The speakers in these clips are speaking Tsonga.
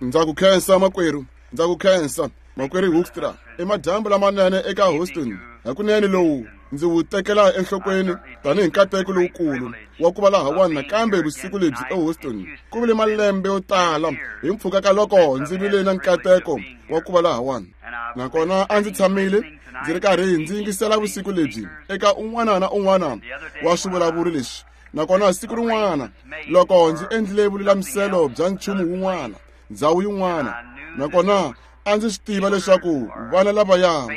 Ndza ku khensa makwerhu, ndza ku khensa makwerhu Hoekstra. I madyambu lamanene eka Houston. Hakunene lowu ndzi wu tekela enhlokweni tanihi nkateko lowukulu wa ku va lahawani nakambe vusiku lebyi eHouston. Ku vile malembe yo tala hi mpfhuka ka loko ndzi vile na nkateko wa ku va lahawani. Nakona a ndzi tshamile ndzi ri karhi ndzi yingisela vusiku lebyi eka un'wana na un'wana wa swivulavuri leswi. Nakona siku rin'wana loko ndzi endlile vululamiselo bya nchumu wun'wana, ndhawu yin'wana, nakona a ndzi swi tiva leswaku vana lavaya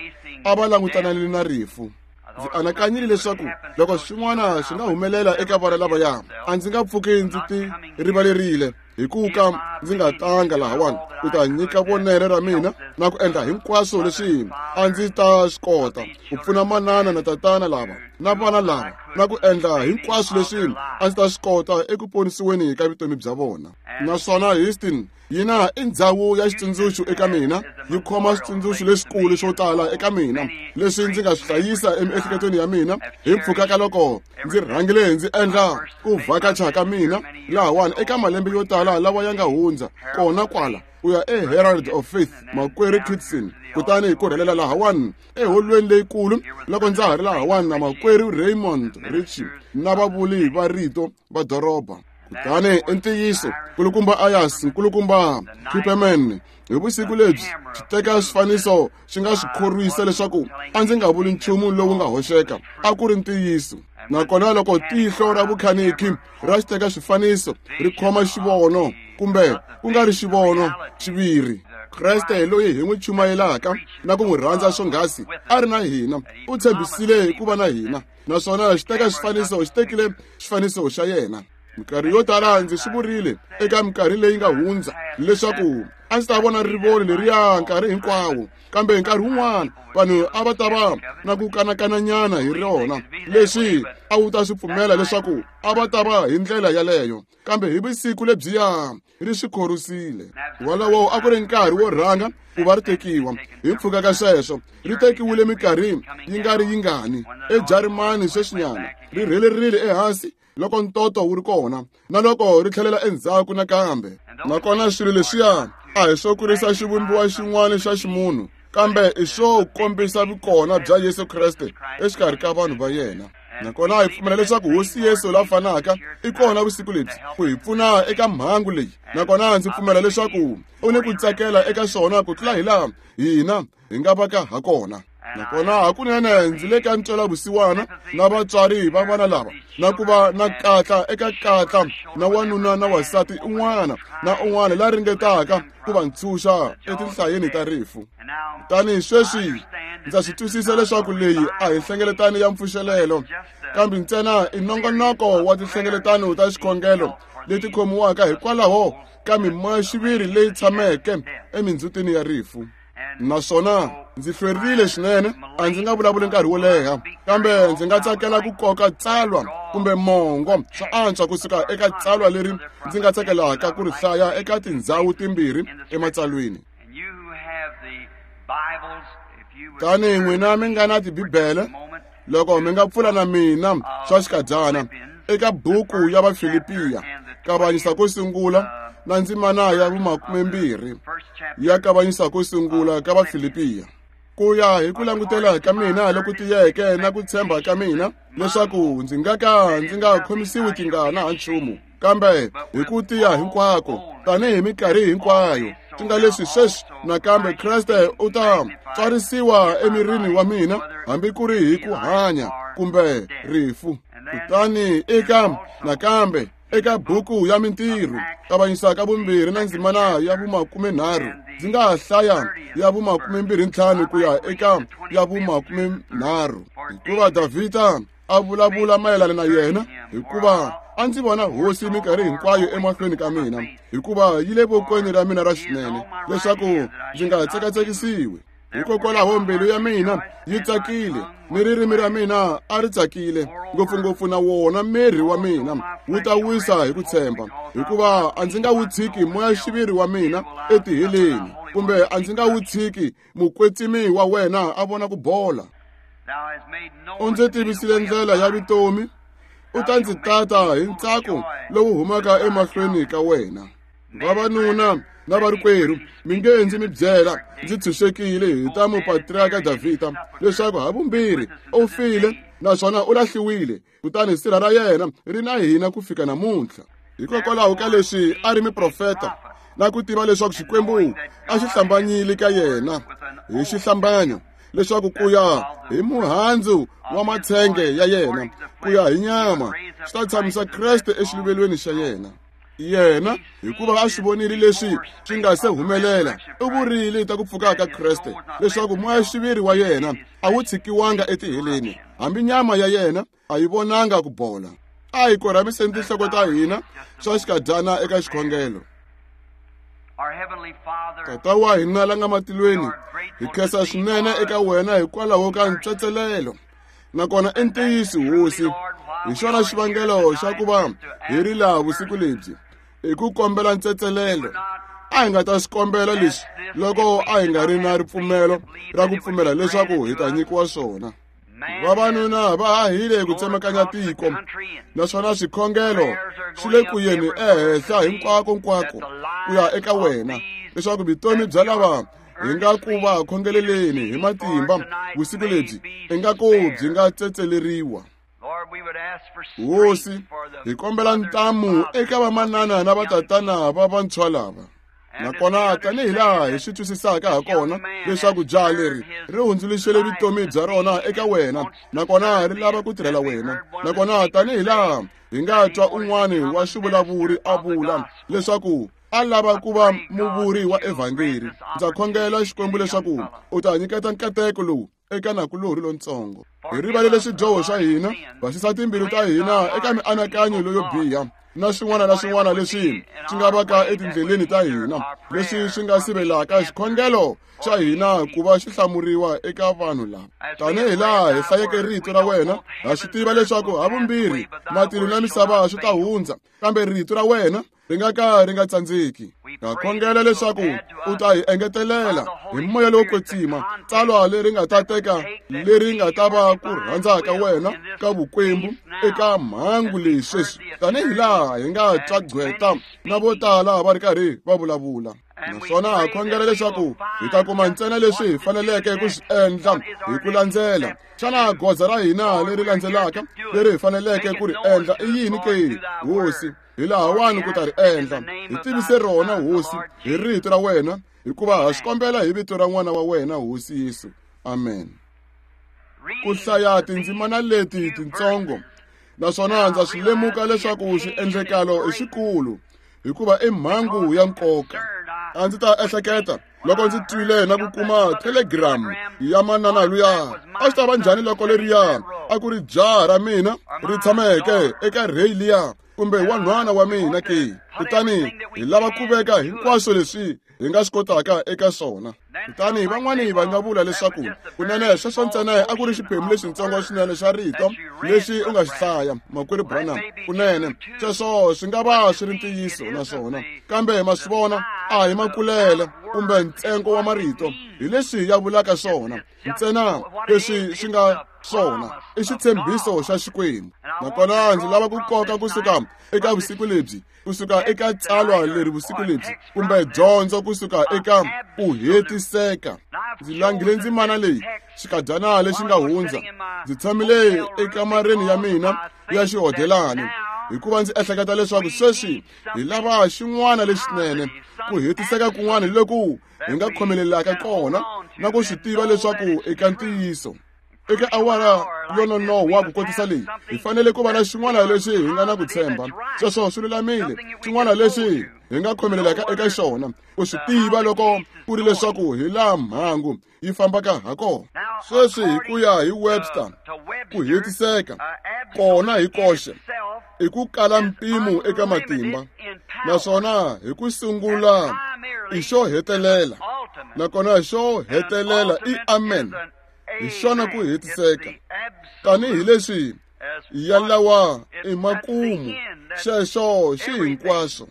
a va langutanile na rifu. Ndzi anakanyile leswaku loko swin'wana swi nga humelela eka vana lavaya, a ndzi nga pfuki ndzi ti rivalerile hi ku ka ndzi nga tanga lahawani ku ta nyika vonelo ra mina na ku endla hinkwaswo leswi a ndzi ta swi kota ku pfuna manana na tatana lava na vana lava na ku endla hinkwaswo leswi a ndzi ta swi kota eku ponisiweni ka vutomi bya vona. Naswona Houston yina i ndzhawu ya xitsundzuxo eka mina, yi khoma switsundzuxo leswikulu swo tala eka mina leswi ndzi nga swi hlayisa emiehleketweni ya mina hi mpfhuka ka loko ndzi rhangile ndzi endla ku vhakacha ka mina lahawani eka malembe yo tala lawa ya nga hundza kona kwala ku ya eHerald of Faith makwerhu Kitson, kutani ku rhelela lahawani eholweni leyikulu loko ndza ha ri lahawani na makwerhu Raymond Richey na vavuli va rito va doroba. Kutani i ntiyiso, nkulukumba Ayers, nkulukumba Kipperman, hi vusiku lebyi xi teka swifaniso xi nga swi khorwisa leswaku a ndzi nga vuli nchumu lowu nga hoxeka, a ku ri ntiyiso. Nakona loko tihlo ra vukhanikhi ra xi teka swifaniso ri khoma xivono, kumbe ku nga ri xivono xiviri, Kreste loyi hi n'wi chumayelaka na ku n'wi rhandza swonghasi a ri na hina, u tshembisile ku va na hina. Naswona xi teka xifaniso, xi tekile xifaniso xa yena. Minkarhi yo tala ndzi swi vurile eka minkarhi leyi nga hundza leswaku a ndzi ta vona rivoni leriya nkarhi hinkwawo, kambe nkarhi wun'wana vanhu a va ta va na ku kanakananyana hi rona, leswi a wu ta swi pfumela leswaku a va ta va hi ndlela yaleyo. Kambe hi vusiku lebyiya ri swi khorwisile. Wolowo a ku ri nkarhi wo rhanga ku va ri tekiwa. Hi mpfhuka ka sweswo ri tekiwile minkarhi yi nga ri yingani eJarimani sweswinyana, ri rhelerile ehansi loko ntoto wu ri kona na loko ri tlhelela endzhaku nakambe. Nakona swilo leswiya a hi swo kurisa xivumbiwa xin'wana xa ximunhu, kambe i swo kombisa vukona bya Yesu Kreste exikarhi ka vanhu va yena. Nakona hi pfumela leswaku Hosi Yesu la fanaka i kona vusiku lebyi ku hi pfuna eka mhangu leyi. Nakona ndzi pfumela leswaku u ni ku tsakela eka swona ku tlula hi laha hina hi nga vaka ha kona. Nakona hakunene ndzi le ka ntwelavusiwana na vatswari va vana lava, na ku va na katla eka katla na wanuna na wansati un'wana na un'wana la ringetaka ku va ntshunxa etinhlayeni ta rifu. Kutani sweswi ndza swi twisisa leswaku leyi a hi nhlengeletano ya mpfuxelelo, kambe ntsena i nongonoko wa tinhlengeletano ta xikhongelo leti khomiwaka hikwalaho ka mimoya-xiviri leyi tshameke emindzhutini ya rifu. Naswona ndzi hlwerile swinene, a ndzi nga vulavuli nkarhi wo leha, kambe ndzi nga tsakela ku koka tsalwa kumbe mongo swa antswa kusuka eka tsalwa leri ndzi nga tsakelaka ku ri hlaya eka tindzhawu timbirhi ematsalweni. Tanihi n'wina mi nga na Tibibele, loko mi nga pfula na mina swa xikadyana eka buku ya Vafilipiya, kavanyisa ko sungula na ndzimana ya vumakumembirhi ya kavanyisa ko sungula ka Vafilipiya. Ku ya hi ku langutela ka mina loku tiyeke na ku tshemba ka mina leswaku ndzi nga ka ndzi nga khomisiwi tingana ha nchumu, kambe hi ku tiya hinkwako tanihi minkarhi hinkwayo, swi nga leswi sweswi nakambe Kreste u ta tswarisiwa emirini wa mina, hambi ku ri hi ku hanya kumbe rifu. Kutani eka nakambe eka buku ya Mintirho, kavanyisa ka vumbirhi na ndzimana ya vumakumenharhu, ndzi nga ha hlaya ya vumakumembirhi-ntlhanu ku ya eka ya vumakumenharhu. Hikuva Davhida a vulavula mayelana na yena, hikuva a ndzi vona Hosi minkarhi hinkwayo emahlweni ka mina, hikuva yi le vokweni ra mina ra xinene, leswaku ndzi nga tsekatsekisiwi. Hikokwalaho mbilu ya mina yi tsakile, ni ririmi ra mina a ri tsakile, ngopfungopfu na wona miri wa mina wu ta wisa hi ku tshemba, hikuva a ndzi nga wu tshiki moya-xiviri wa mina etiheleni, kumbe a ndzi nga wu tshiki mukwetsimi wa wena a vona ku bola. U ndzi tivisile ndlela ya vutomi, u ta ndzi tata hi ntsako lowu humaka emahlweni ka wena. Vavanuna Na varikwerhu, mi nge ndzi mi byela, ndzi tshunxekile hi ta mupatriarka Davhida, leswaku havumbirhi u file naswona u lahliwile, kutani sirha ra yena ri na hina ku fika namuntlha. Hikokwalaho ka leswi a ri muprofeta, na ku tiva leswaku Xikwembu a xi hlambanyile ka yena hi xihlambanyo, leswaku ku ya hi muhandzu wa matshenge ya yena, ku ya hi nyama, xi ta tshamisa Kreste exiluvelweni xa yena. Yena, hikuva a swi vonile leswi swi nga se humelela, u vurile ta ku pfuka ka Kreste, leswaku moya-xiviri wa yena a wu tshikiwanga etiheleni, hambi nyama ya yena a yi vonanga ku bola. A hi korhamiseni tinhloko ta hina swa xikadyana eka xikhongelo. Tata wa hina la nga matilweni, hi khensa swinene eka wena hikwalaho ka ntswetselelo. Nakona i ntiyiso, Hosi, hi xona xivangelo xa ku va hi ri laha vusiku lebyi, i ku kombela ntsetselelo. A hi nga ta swi kombela leswi loko a hi nga ri na ripfumelo ra ku pfumela leswaku hi ta nyikiwa swona. Vavanuna va hahile ku tsemakanya tiko, naswona swikhongelo swi le ku yeni ehenhla hinkwako-nkwako ku ya eka wena, leswaku vutomi bya lava hi nga ku va khongeleleni hi matimba vusiku lebyi ingaku byi nga tsetseleriwa. Hosi, hi kombela ntamu eka vamanana na vatatana va vantshwa lava. Nakona tanihi laha hi swi twisisaka ha kona leswaku jaha leri ri hundzuluxele vutomi bya rona eka wena, nakona ri lava ku tirhela wena. Nakona tanihi laha hi nga twa un'wana wa swivulavuri a vula leswaku a lava ku va muvuri wa evhangeri, ndza khongela Xikwembu leswaku u ta nyiketa nkateko lowu eka nakulorhi lontsongo. Hi rivalele swidyoho swa hina, basisa timbilu ta hina eka mianakanyo leyo biha na swin'wana na swin'wana leswi swi nga vaka etindleleni ta hina, leswi swi nga sivelaka xikhongelo xa hina ku va xi hlamuriwa eka vanhu lava. Tanihi laha hi hlayeke rito ra wena, ha swi tiva leswaku havumbirhi matilo na misava swi ta hundza, kambe rito ra wena ri nga ka ri nga tsandzeki. Ha khongela leswaku u ta hi engetelela hi moya lowo kwetsima tsalwa leri nga ta teka leri nga ta va ku rhandza ka wena ka vukwembu eka mhangu leyi sweswi, tanihi laha hi nga twa gqweta na vo tala va ri karhi va vulavula. Naswona ha khongela leswaku hi ta kuma ntsena leswi hi faneleke ku swi endla hi ku landzela. Xana goza ra hina leri landzelaka leri hi faneleke ku ri endla i yini ke, Hosi? Hi lahawani ku ta ri endla. Hi tivise rona, Hosi, hi rito ra wena, hikuva ha swi kombela hi vito ra n'wana wa wena, Hosi Yesu. Amen. Ku hlaya tindzimana leti tintsongo, naswona ndza swi lemuka leswaku swiendlekalo i swikulu, hikuva i mhangu ya nkoka. A ndzi ta ehleketa loko ndzi twile na ku kuma telegram ya manana luya, a swi ta va njhani loko leriya a ku ri jaha ra mina ri tshameke eka rheyi liya, kumbe wanhwana wa mina ke? Kutani hi lava ku veka hinkwaswo leswi hi nga swi kotaka eka swona. Kutani van'wani va nga vula leswaku kunene sweswo ntsena a ku ri xiphemu lexitsongo swinene xa rito lexi u nga xi hlaya, Makwerhu Branham. Kunene sweswo swi nga va swi ri ntiyiso naswona, kambe ma swi vona, a hi makulele kumbe ntsengo wa marito hi leswi ya vulaka swona. Ntsena leswi swi nga swona i xitshembiso xa Xikwembu. Nakona ndzi lava ku koka kusuka eka vusiku lebyi, kusuka eka tsalwa leri vusiku lebyi, kumbe dyondzo kusuka eka ku hetiseka. Ndzi langile ndzimana leyi xikadyana lexi nga hundza. Ndzi tshamile ekamareni ya mina ya xihodelani, hikuva ndzi ehleketa leswaku sweswi hi lava xin'wana lexinene, ku hetiseka kun'wana loku hi nga khomelelaka kona na ku swi tiva leswaku eka ntiyiso. Eka awara yo nonohwa ku kotisa leyi, hi fanele ku va na xin'wana lexi hi nga na ku tshemba. Sweswo swi lulamile, xin'wana lexi hi nga khomelelaka eka xona, ku swi tiva loko ku ri leswaku hi laha mhangu yi fambaka ha kona. Sweswi hi ku ya hi Webster, ku hetiseka kona hi koxe i ku kala mpimo eka matimba, naswona hi ku sungula i xo hetelela, nakona xo hetelela i amen. Hi xona ku hetiseka, tanihi leswi ya lawa i makumu, xexo xi hinkwaswo.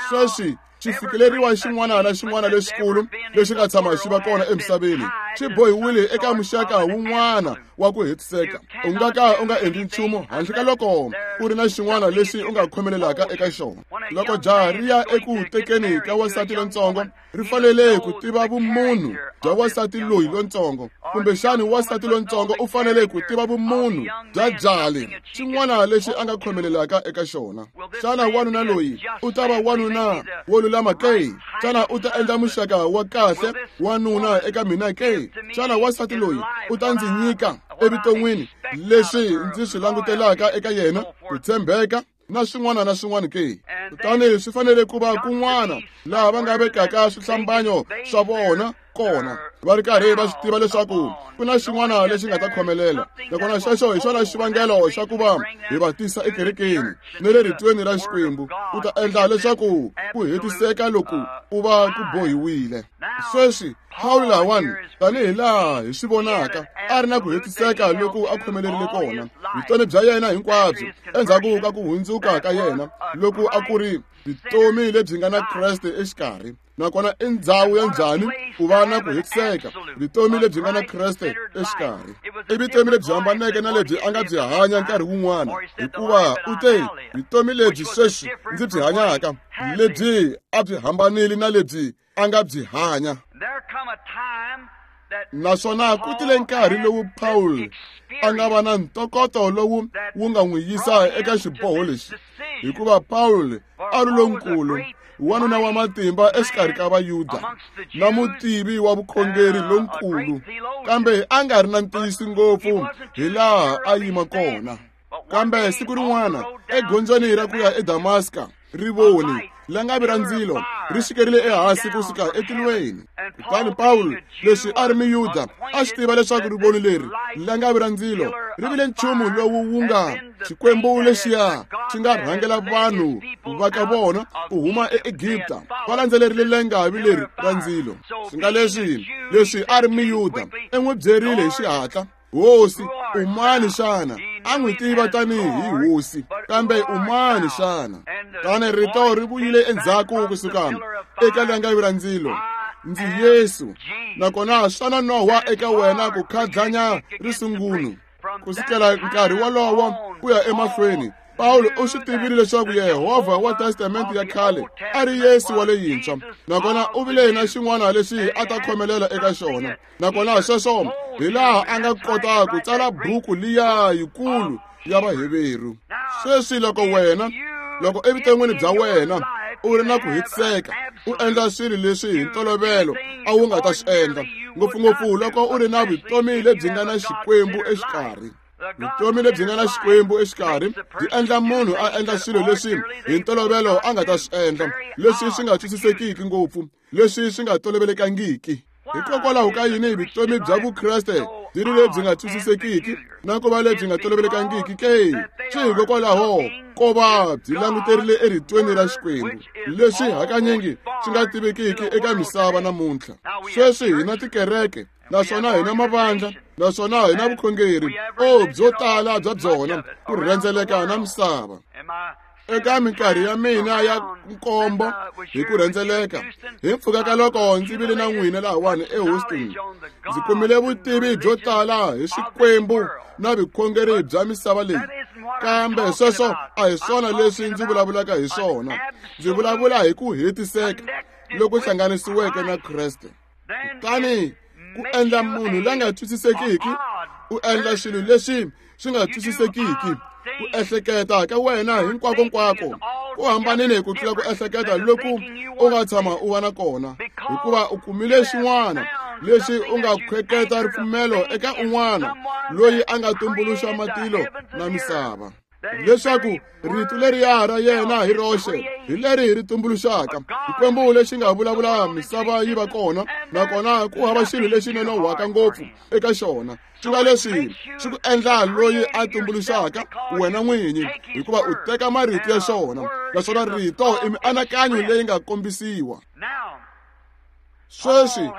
Sweswi xi fikeleriwa xin'wana na xin'wana lexikulu lexi nga tshama xi va kona emisaveni. xi bohiwile eka muxaka wun'wana wa ku hetiseka. U nga ka u nga endli nchumu handle ka loko u ri na xin'wana lexi u nga khomelelaka eka xona. Loko jaha ri ya eku tekeni ka wansati lontsongo, ri fanele ku tiva vumunhu bya wansati loyi lontsongo, kumbexani wansati lontsongo u fanele ku tiva vumunhu bya jaha leri, xin'wana lexi a nga khomelelaka eka xona. Xana wanuna loyi u ta va wanuna wo lulama ke? Xana u ta endla muxaka wa kahle wanuna eka mina ke? Xana wansati loyi u ta ndzi nyika evuton'wini leswi ndzi swi langutelaka eka yena, ku tshembeka na swin'wana na swin'wana ke? Kutani swi fanele ku va kun'wana laha va nga vekaka swihlambanyo swa vona kona, va ri karhi va swi tiva leswaku ku na xin'wana lexi nga ta khomelela. Nakona xexo hi xona xivangelo xa ku va hi va tisa ekerekeni ni le ritweni ra Xikwembu, ku ta endla leswaku ku hetiseka loku ku va ku bohiwile. Sweswi Pawulo lahawani, tanihi laha hi swi vonaka, a ri na ku hetiseka loku a khomelerile kona vutomi bya yena hinkwabyo endzhaku ka ku hundzuka ka yena, loku a ku ri vutomi lebyi nga na Kreste exikarhi. Nakona i ndhawu ya njhani ku va na ku hetiseka, vutomi lebyi nga na Kreste exikarhi? I vutomi lebyi hambaneke na lebyi a nga byi hanya nkarhi wun'wana, hikuva u te, vutomi lebyi sweswi ndzi byi hanyaka, lebyi a byi hambanile na lebyi a nga byi hanya. Naswona ku tile nkarhi lowu Paul a nga va na ntokoto lowu wu nga n'wi yisa eka xiboho lexi, hikuva Paul a ri lonkulu, wanuna wa matimba exikarhi ka Vayuda na mutivi wa vukhongeri lonkulu, kambe a nga ri na ntiyiso ngopfu hi laha a yima kona. Kambe siku rin'wana egondzweni ra ku ya eDamaska, rivoni langavi ra ndzilo ri xikerile ehansi kusuka etilweni. Kutani Pawulo, leswi a ri Muyuda, a swi tiva leswaku rivoni leri langavi ra ndzilo ri vile nchumu lowu wu nga Xikwembu lexiya xi nga rhangela vanhu va ka vona ku huma eEgipta, va landzelerile langavi leri ra ndzilo. Swi nga leswi a ri Muyuda, i n'wi byerile hi xihatla, Hosi, u mani xana? A n'wi tiva tanihi hosi, kambe u mani xana? Kutani rito ri vuyile endzhaku kusuka eka langavi ra ndzilo, ndzi Yesu, nakona swa nonohwa eka wena ku khadlanya risungunu. Kusukela nkarhi wolowo ku ya emahlweni, Pawulo u swi tivile leswaku Yehovha wa Testamente ya khale a ri Yesu wa leyintshwa, nakona u vile na xin'wana lexi a ta khomelela eka xona. Nakona sweswo hi laha a nga kota ku tsala buku liya yikulu ya Vaheveru. Sweswi loko wena, loko evuton'wini bya wena u ri na ku hetiseka, u endla swilo leswi hi ntolovelo a wu nga ta swi endla, ngopfungopfu loko u ri na vutomi lebyi nga na Xikwembu exikarhi. Vutomi lebyi nga na Xikwembu exikarhi byi endla munhu a endla swilo leswi hi ntolovelo a nga ta swi endla, leswi swi nga twisisekiki ngopfu, leswi swi nga tolovelekangiki. Hikokwalaho ka yini vutomi bya Vukreste byi ri lebyi nga twisisekiki na ku va lebyi nga tolovelekangiki ke? Swi hikokwalaho ko va byi languterile eritweni ra Xikwembu, leswi hakanyingi swi nga tivekiki eka misava namuntlha. Sweswi hi na tikereke, naswona hi na mavandla, naswona hi na vukhongeri, o byo tala bya byona ku rhendzeleka na misava. Eka minkarhi ya mina ya nkombo hi ku rhendzeleka, hi mpfhuka ka loko ndzi vile na n'wina lahawani eHouston, ndzi kumile vutivi byo tala hi swikwembu na vukhongeri bya misava leyi. Kambe sweswo a hi swona leswi ndzi vulavulaka hi swona. Ndzi vulavula hi ku hetiseka loku hlanganisiweke na Kreste. Kutani ku endla munhu la nga twisisekiki, u endla swilo leswi swi nga twisisekiki. Ku ehleketa ka wena hinkwako-nkwako ku hambanile ku tlula ku ehleketa loku u nga tshama u va na kona, hikuva u kumile xin'wana lexi u nga khweketa ripfumelo eka un'wana loyi a nga tumbuluxa matilo na misava, leswaku rito leriya ra yena hi roxe hi leri ri tumbuluxaka. Xikwembu lexi nga vulavula misava yi va kona, nakona ku hava xilo lexi nonohwaka ngopfu eka xona. Swi nga leswi swi ku endla loyi a tumbuluxaka wena n'winyi, hikuva u teka marito ya xona, naswona rito i mianakanyo leyi nga kombisiwa. Sweswi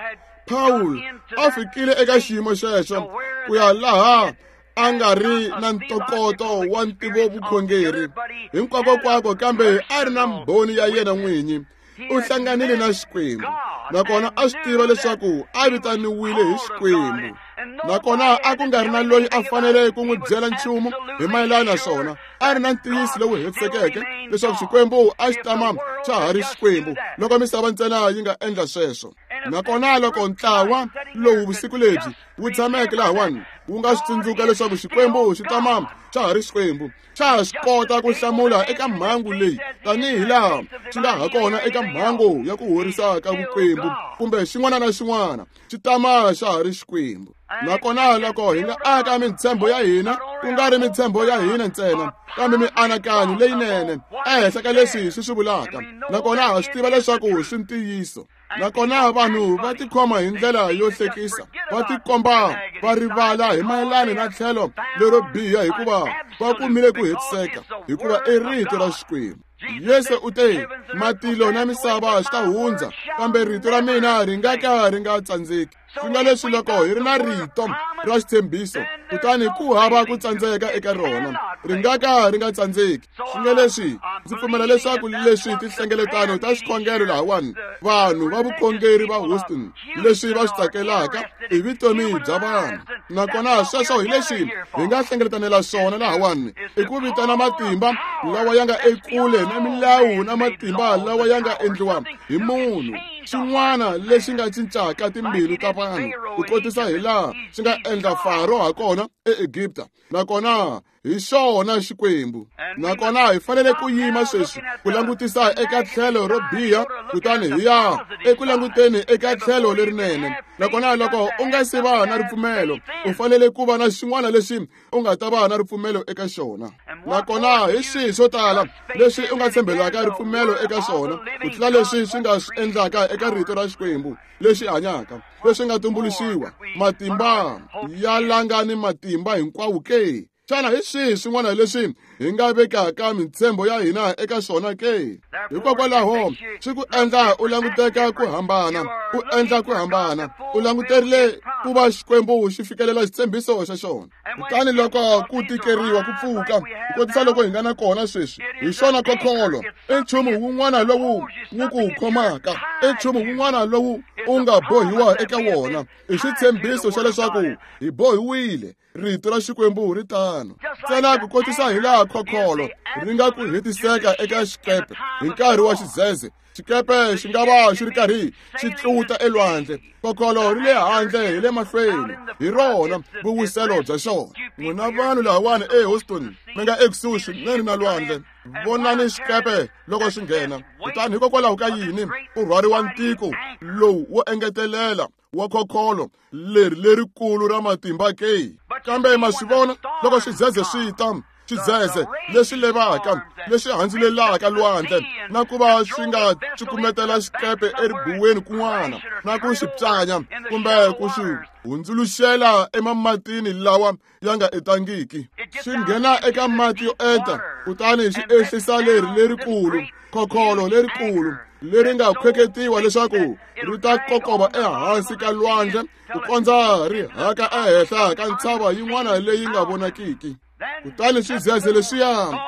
Paul a fikile eka xiyimo xexo ku ya laha a nga ri na ntokoto wa ntivovukhongeri hinkwako-kwako, kambe a ri na mbhoni ya yena n'winyi. U hlanganile na Xikwembu, Nakona a swi tiva leswaku a vitaniwile hi Xikwembu. Nakona a ku nga ri na loyi a fanele ku n'wi byela nchumu hi mayelana na swona. A ri na ntiyiso lowu hetisekeke leswaku Xikwembu a xi tama xa ha ri Xikwembu loko misava ntsena yi nga endla sweswo. Nakona loko ntlawa lowu vusiku lebyi wu tshameke lahawani wu nga swi tsundzuka leswaku Xikwembu xi tama xa ha ri Xikwembu, xa ha swi kota ku hlamula eka mhangu leyi tanihi laha xi nga ha kona eka mhangu ya ku horisa ka vukwembu kumbe xin'wana na xin'wana, xi tama xa ha ri Xikwembu. Nakona loko hi nga aka mintshembo ya hina, ku nga ri mintshembo ya hina ntsena, kambe mianakanyo leyinene ehenhla ka leswi swi swi vulaka, nakona ha swi tiva leswaku swi ntiyiso. Nakona vanhu va tikhoma hi ndlela yo hlekisa, va tikomba va rivala hi mayelana na tlhelo lero biha hikuva va kumile ku hetiseka, hikuva i rito ra Xikwembu. Yesu u te, matilo na misava swi ta hundza, kambe rito ra mina ri nga ka ri nga tsandzeki. Swi nga leswi loko hi ri na rito ra xitshembiso, kutani ku hava ku tsandzeka eka rona, ri nga ka ri nga tsandzeki. Swi nga leswi ndzi pfumela leswaku leswi tinhlengeletano ta xikhongelo lahawani, vanhu va vukhongeri va Houston, leswi va swi tsakelaka i vutomi bya vanhu. Nakona sweswo hi leswi hi nga hlengeletanela swona lahawani, i ku vitana matimba lawa ya nga ekule na milawu na matimba lawa ya nga endliwa hi munhu, xin'wana lexi nga cincaka timbilu ta vanhu ku kotisa hi laha xi nga endla Faro ha kona eEgipta. Nakona hi xona Xikwembu. Nakona hi fanele ku yima sweswi ku langutisa eka tlhelo ro biha, kutani hi ya eku languteni eka tlhelo lerinene. Nakona loko u nga se va na ripfumelo, u fanele ku va na xin'wana lexi u nga ta va na ripfumelo eka xona. Nakona hi swihi swo tala leswi u nga tshembelaka ripfumelo eka swona ku tlula leswi swi nga swi endlaka eka rito ra Xikwembu lexi hanyaka, leswi nga tumbuluxiwa, matimba ya langa ni matimba hinkwawo ke? Xana hi swihi swin'wana leswi hi nga vekaka mintshembo ya hina eka swona ke? Hikokwalaho swi ku endla u languteka ku hambana, u endla ku hambana, u languterile ku va Xikwembu xi fikelela xitshembiso xa xona. Kutani loko ku tikeriwa ku pfuka, ku kotisa loko hi nga na kona sweswi, hi xona khokholo, i nchumu wun'wana lowu wu ku khomaka, i nchumu wun'wana lowu u nga bohiwa eka wona, i xitshembiso xa leswaku hi bohiwile. Rito ra Xikwembu ri tano. Ntsena ku kotisa hi laha khokholo ri nga ku hetiseka eka xikepe hi nkarhi wa xidzedze, xikepe xi nga va xi ri karhi xi tluta elwandle, khokholo ri le handle hi le mahlweni, hi rona vuwiselo bya xona. N'wina vanhu lahawani eHouston mi nga ekusuhi swinene na lwandle, vonani xikepe loko xi nghena. Kutani hikokwalaho ka yini ku rhwariwa ntiko lowu wo engetelela wa khokholo leri lerikulu ra matimba ke? Kambe ma swi vona loko xidzedze swi ta, xidzedze lexi levaka, lexi handzulelaka lwandle, na ku va swi nga cukumetela xikepe eribuweni kun'wana, na ku xi pyanya kumbe ku xi hundzuluxela emamatini lawa ya nga etangiki, xi nghena eka mati yo enta, kutani xi ehlisa leri lerikulu khokholo lerikulu leri nga khweketiwa leswaku ri ta kokova ehansi ka lwandle ku kondza ri haka ehenhla ka ntshava yin'wana leyi nga vonakiki. Kutani swidzedze leswiya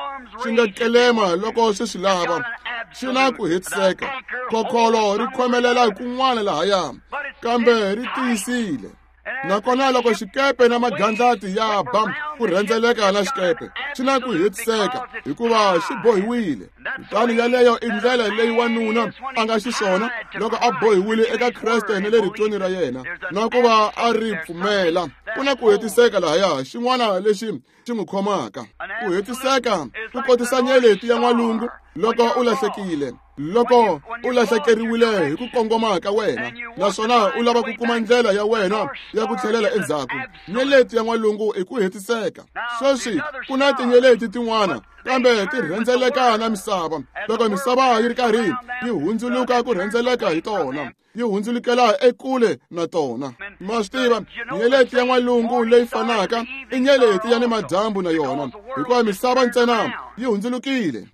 swi nga kelema loko swi swi lava, swi na ku hetiseka. Khokholo ri khomelela kun'wana lahaya, kambe ri tiyisile. Nakona loko xikepe na magandlati ya ba ku rhendzeleka na xikepe, xi na ku hetiseka hikuva xi bohiwile. Kutani yaleyo i ndlela leyi wanuna a nga xiswona loko a bohiwile eka Kreste ni le ritweni ra yena, na ku va a ri pfumela. Ku na ku hetiseka lahaya, xin'wana lexi xi n'wi khomaka. Ku hetiseka ku kotisa nyeleti ya n'walungu loko u lahlekile, loko u lahlekeriwile hi ku kongoma ka wena, naswona u lava ku kuma ndlela ya wena ya ku tlhelela endzhaku. Nyeleti ya n'walungu i ku hetiseka. Sweswi ku na tinyeleti tin'wana, kambe ti rhendzeleka na misava. Loko misava yi ri karhi yi hundzuluka ku rhendzeleka hi tona, yi hundzulukela ekule na tona. Ma swi tiva, nyeleti ya n'walungu leyi fanaka i nyeleti ya ni madyambu na yona, hikuva misava ntsena yi hundzulukile.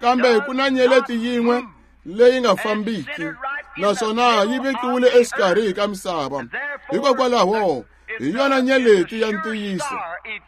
Kambe ku na nyeleti yin'we leyi nga fambiki, naswona yi vekiwile exikarhi ka misava. Hikokwalaho Hi yona nyeleti ya ntiyiso.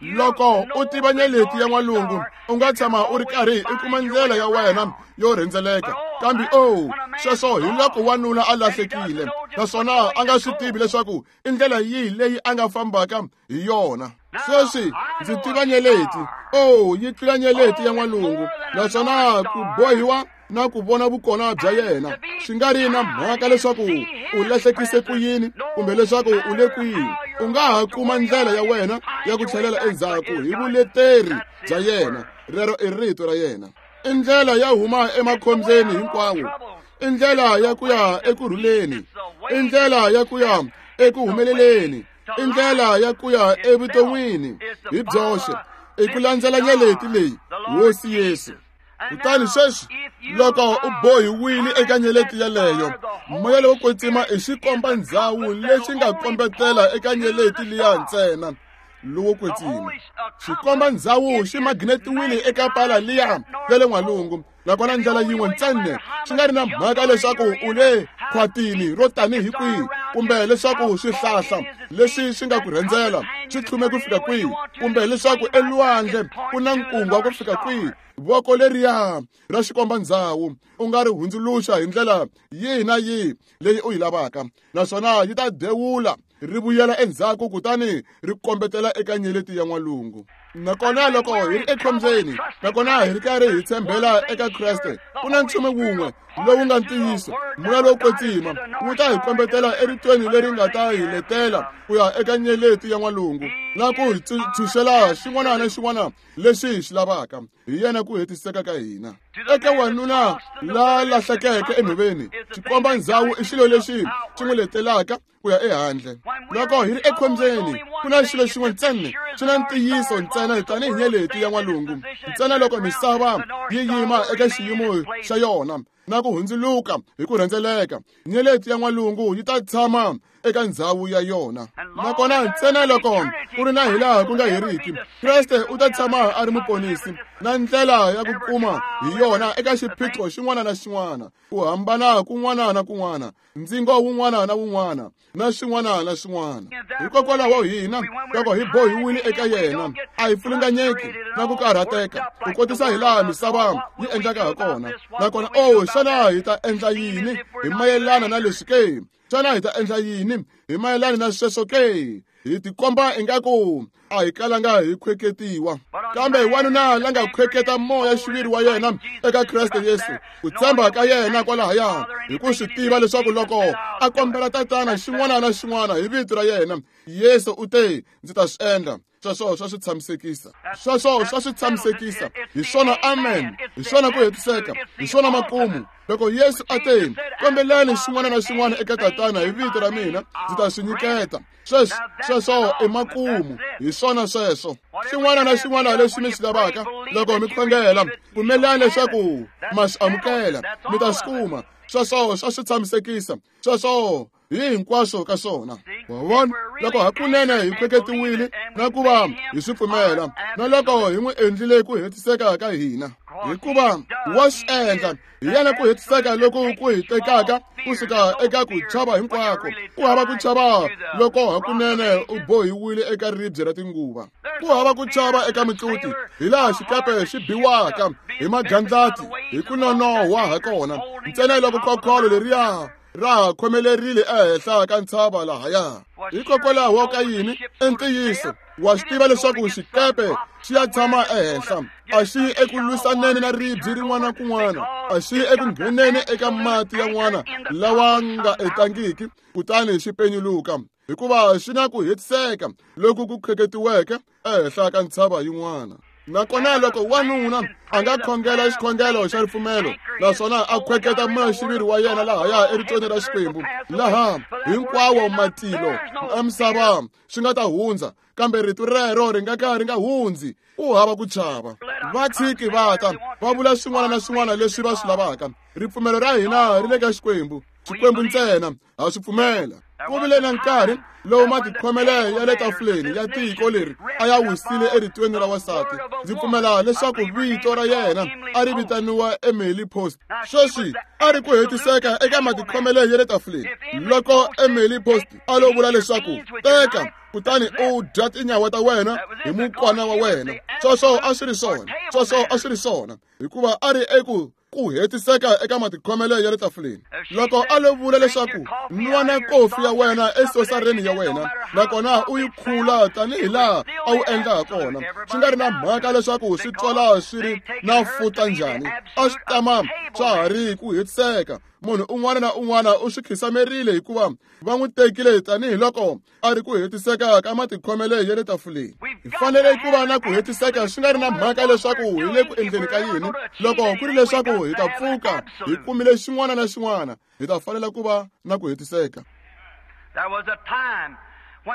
Loko u tiva nyeleti ya n'walungu, u nga tshama u ri karhi u kuma ndlela ya wena yo rhendzeleka. Kambe o, sweswo hi loko wanuna a lahlekile, naswona a nga swi tivi leswaku i ndlela yihi leyi a nga fambaka hi yona. Sweswi ndzi tiva nyeleti. O, yi tlula nyeleti ya n'walungu, naswona ku bohiwa na ku vona vukona bya yena swi nga ri na mhaka leswaku u lahlekise ku yini kumbe leswaku u le kwihi, u nga ha kuma ndlela ya wena ya ku tlhelela endzhaku hi vuleteri bya yena. Rero i rito ra yena. I ndlela ya huma emakhombyeni hinkwawo, i ndlela ya ku ya ekurhuleni, i ndlela ya ku ya eku humeleleni, i ndlela ya ku ya evuton'wini hi byoxe, i ku landzela nyeleti leyi, Hosi Yesu. Kutani sweswi loko u bohiwile eka nyeleti yeleyo, moya lowo kwetsima i xikomba ndzhawu lexi nga kombetela eka nyeleti liya ntsena. Lowo kwetsima xikomba ndzhawu xi magnetiwile eka pala liya ya le n'walungu, nakona ndlela yin'we ntsena, swi nga ri na mhaka leswaku u le khwatini ro tanihi kwihi kumbe leswaku swihlahla leswi swi nga ku rhendzela swi tlhume ku fika kwihi kumbe leswaku elwandle ku na nkungwa ku fika kwihi, voko leriya ra xikomba ndzhawu u nga ri hundzuluxa hi ndlela yihi na yihi leyi u yi lavaka, naswona yi ta dewula ri vuyela endzhaku kutani ri kombetela eka nyeleti ya n'walungu. Nakona loko hi ri ekhombyeni, nakona hi ri karhi hi tshembela eka Kreste, ku na nchumu wun'we lowu nga ntiyiso, moya lowo kwetsima wu ta hi kombetela eritweni leri nga ta hi letela ku ya eka nyeleti ya n'walungu na ku hi tshunxela xin'wana na xin'wana lexi hi xi lavaka. Hi yena ku hetiseka ka hina. Eka wanuna la lahlekeke enhoveni, xikomba ndzhawu i xilo lexi xi n'wi letelaka ku ya ehandle. Loko hi ri ekhombyeni, ku na xilo xin'we ntsena xi na ntiyiso ntsena tanihi nyeleti ya n'walungu, ntsena loko misava yi yima eka xiyimo xa yona na ku hundzuluka hi ku rhendzeleka, nyeleti ya n'walungu yi ta tshama eka ndzhawu ya yona. Nakona ntsena loko ku ri na hilaha ku nga heriki, Kreste u ta tshama a ri muponisi na ndlela ya ku kuma hi yona eka xiphiqo xin'wana na xin'wana, ku hambana kun'wana na kun'wana, ndzingo wun'wana na wun'wana, na swin'wana na swin'wana. Hikokwalaho hina loko hi bohiwile eka yena, a hi pfulunganyeki na ku karhateka ku kotisa hilaha misava yi endlaka ha kona. Nakona o, xana hi ta endla yini hi mayelana na leswi ke? Xana hi ta endla yini hi mayelana na sweswo ke? Hi tikomba ingaku a hi kalanga hi khweketiwa, kambe wanuna la nga khweketa moya xiviri wa yena eka Kreste Yesu, ku tshemba ka yena kwalahaya, hi ku swi tiva leswaku loko a kombela Tatana xin'wana na xin'wana hi vito ra yena, Yesu u te, ndzi ta swi endla. Sweswo swa swi tshamisekisa, sweswo swa swi tshamisekisa. Hi swona amen, hi swona ku hetiseka, hi swona makumu. Loko Yesu a te, kombelani xin'wana na xin'wana eka Tatana hi vito ra mina, ndzi ta swi nyiketa. Sweswo, sweswo i makumu, hi swona sweswo. Xin'wana na xin'wana lexi mi xi lavaka loko mi khongela, pfumelani leswaku ma swi amukela, mi ta swi kuma. Sweswo swa swi tshamisekisa, sweswo hi hinkwaswo ka swona. Wa vona, loko hakunene hi khweketiwile na ku va hi swi pfumela, na loko hi n'wi endlile ku hetiseka ka hina, hikuva wa swi endla, hi yena ku hetiseka loku ku hi tekaka kusuka eka ku chava hinkwako. Ku hava ku chava loko hakunene u bohiwile eka ribye ra tinguva. Ku hava ku chava eka mitluti, hilaha xikepe xi biwaka hi magandlati hi ku nonohwa ha kona, ntsena loko khokholo leriya ra ha khomelerile ehenhla ka ntshava lahaya. Hikokwalaho ka yini? I ntiyiso, wa swi tiva leswaku xikepe xi ya tshama ehenhla, a xi yi eku lwisaneni na ribye rin'wana kun'wana, a xi yi eku ngheneni eka mati yan'wana lawa nga etangiki kutani xi penyuluka, hikuva xi na ku hetiseka loku ku kheketiweke ehenhla ka ntshava yin'wana. Nakona loko wanuna a nga khongela xikhongelo xa ripfumelo, naswona a khweketa moya-xiviri wa yena lahaya eritweni ra Xikwembu, laha hinkwawo matilo na misava swi nga ta hundza, kambe rito rero ri nga ka ri nga hundzi, u hava ku chava. Va tshiki va ta va vula swin'wana na swin'wana leswi va swi lavaka. Ripfumelo ra hina ri le ka Xikwembu, Xikwembu ntsena, ha swi pfumela. Ku vile na nkarhi lowu matikhomelo ya le tafuleni ya tiko leri a ya wisile eritweni ra wansati. Ndzi pfumela leswaku vito ra yena a ri vitaniwa Emily Post. Sweswi a ri ku hetiseka eka matikhomelo ya le tafuleni. Loko Emily Post a lo vula leswaku teka kutani u dya tinyawa ta wena hi mukwana wa wena, sweswo a swi ri swona, sweswo a swi ri swona, hikuva a ri eku ku hetiseka eka matikhomelo ya le tafuleni. Loko a lo vula leswaku nwana kofi ya wena esosareni ya wena, nakona u yi khula tanihi laha a wu endla ha kona, swi nga ri na mhaka leswaku swi twala swi ri na futa njhani, a swi tama swa ha ri ku hetiseka. Munhu un'wana na un'wana u swi khisamerile hikuva va n'wi tekile tanihiloko a ri ku hetiseka ka matikhomelo ya le tafuleni. Hi fanele ku va na ku hetiseka swi nga ri na mhaka leswaku hi le ku endleni ka yini. Loko ku ri leswaku hi ta pfuka hi kumile xin'wana na xin'wana, hi ta fanela ku va na ku hetiseka.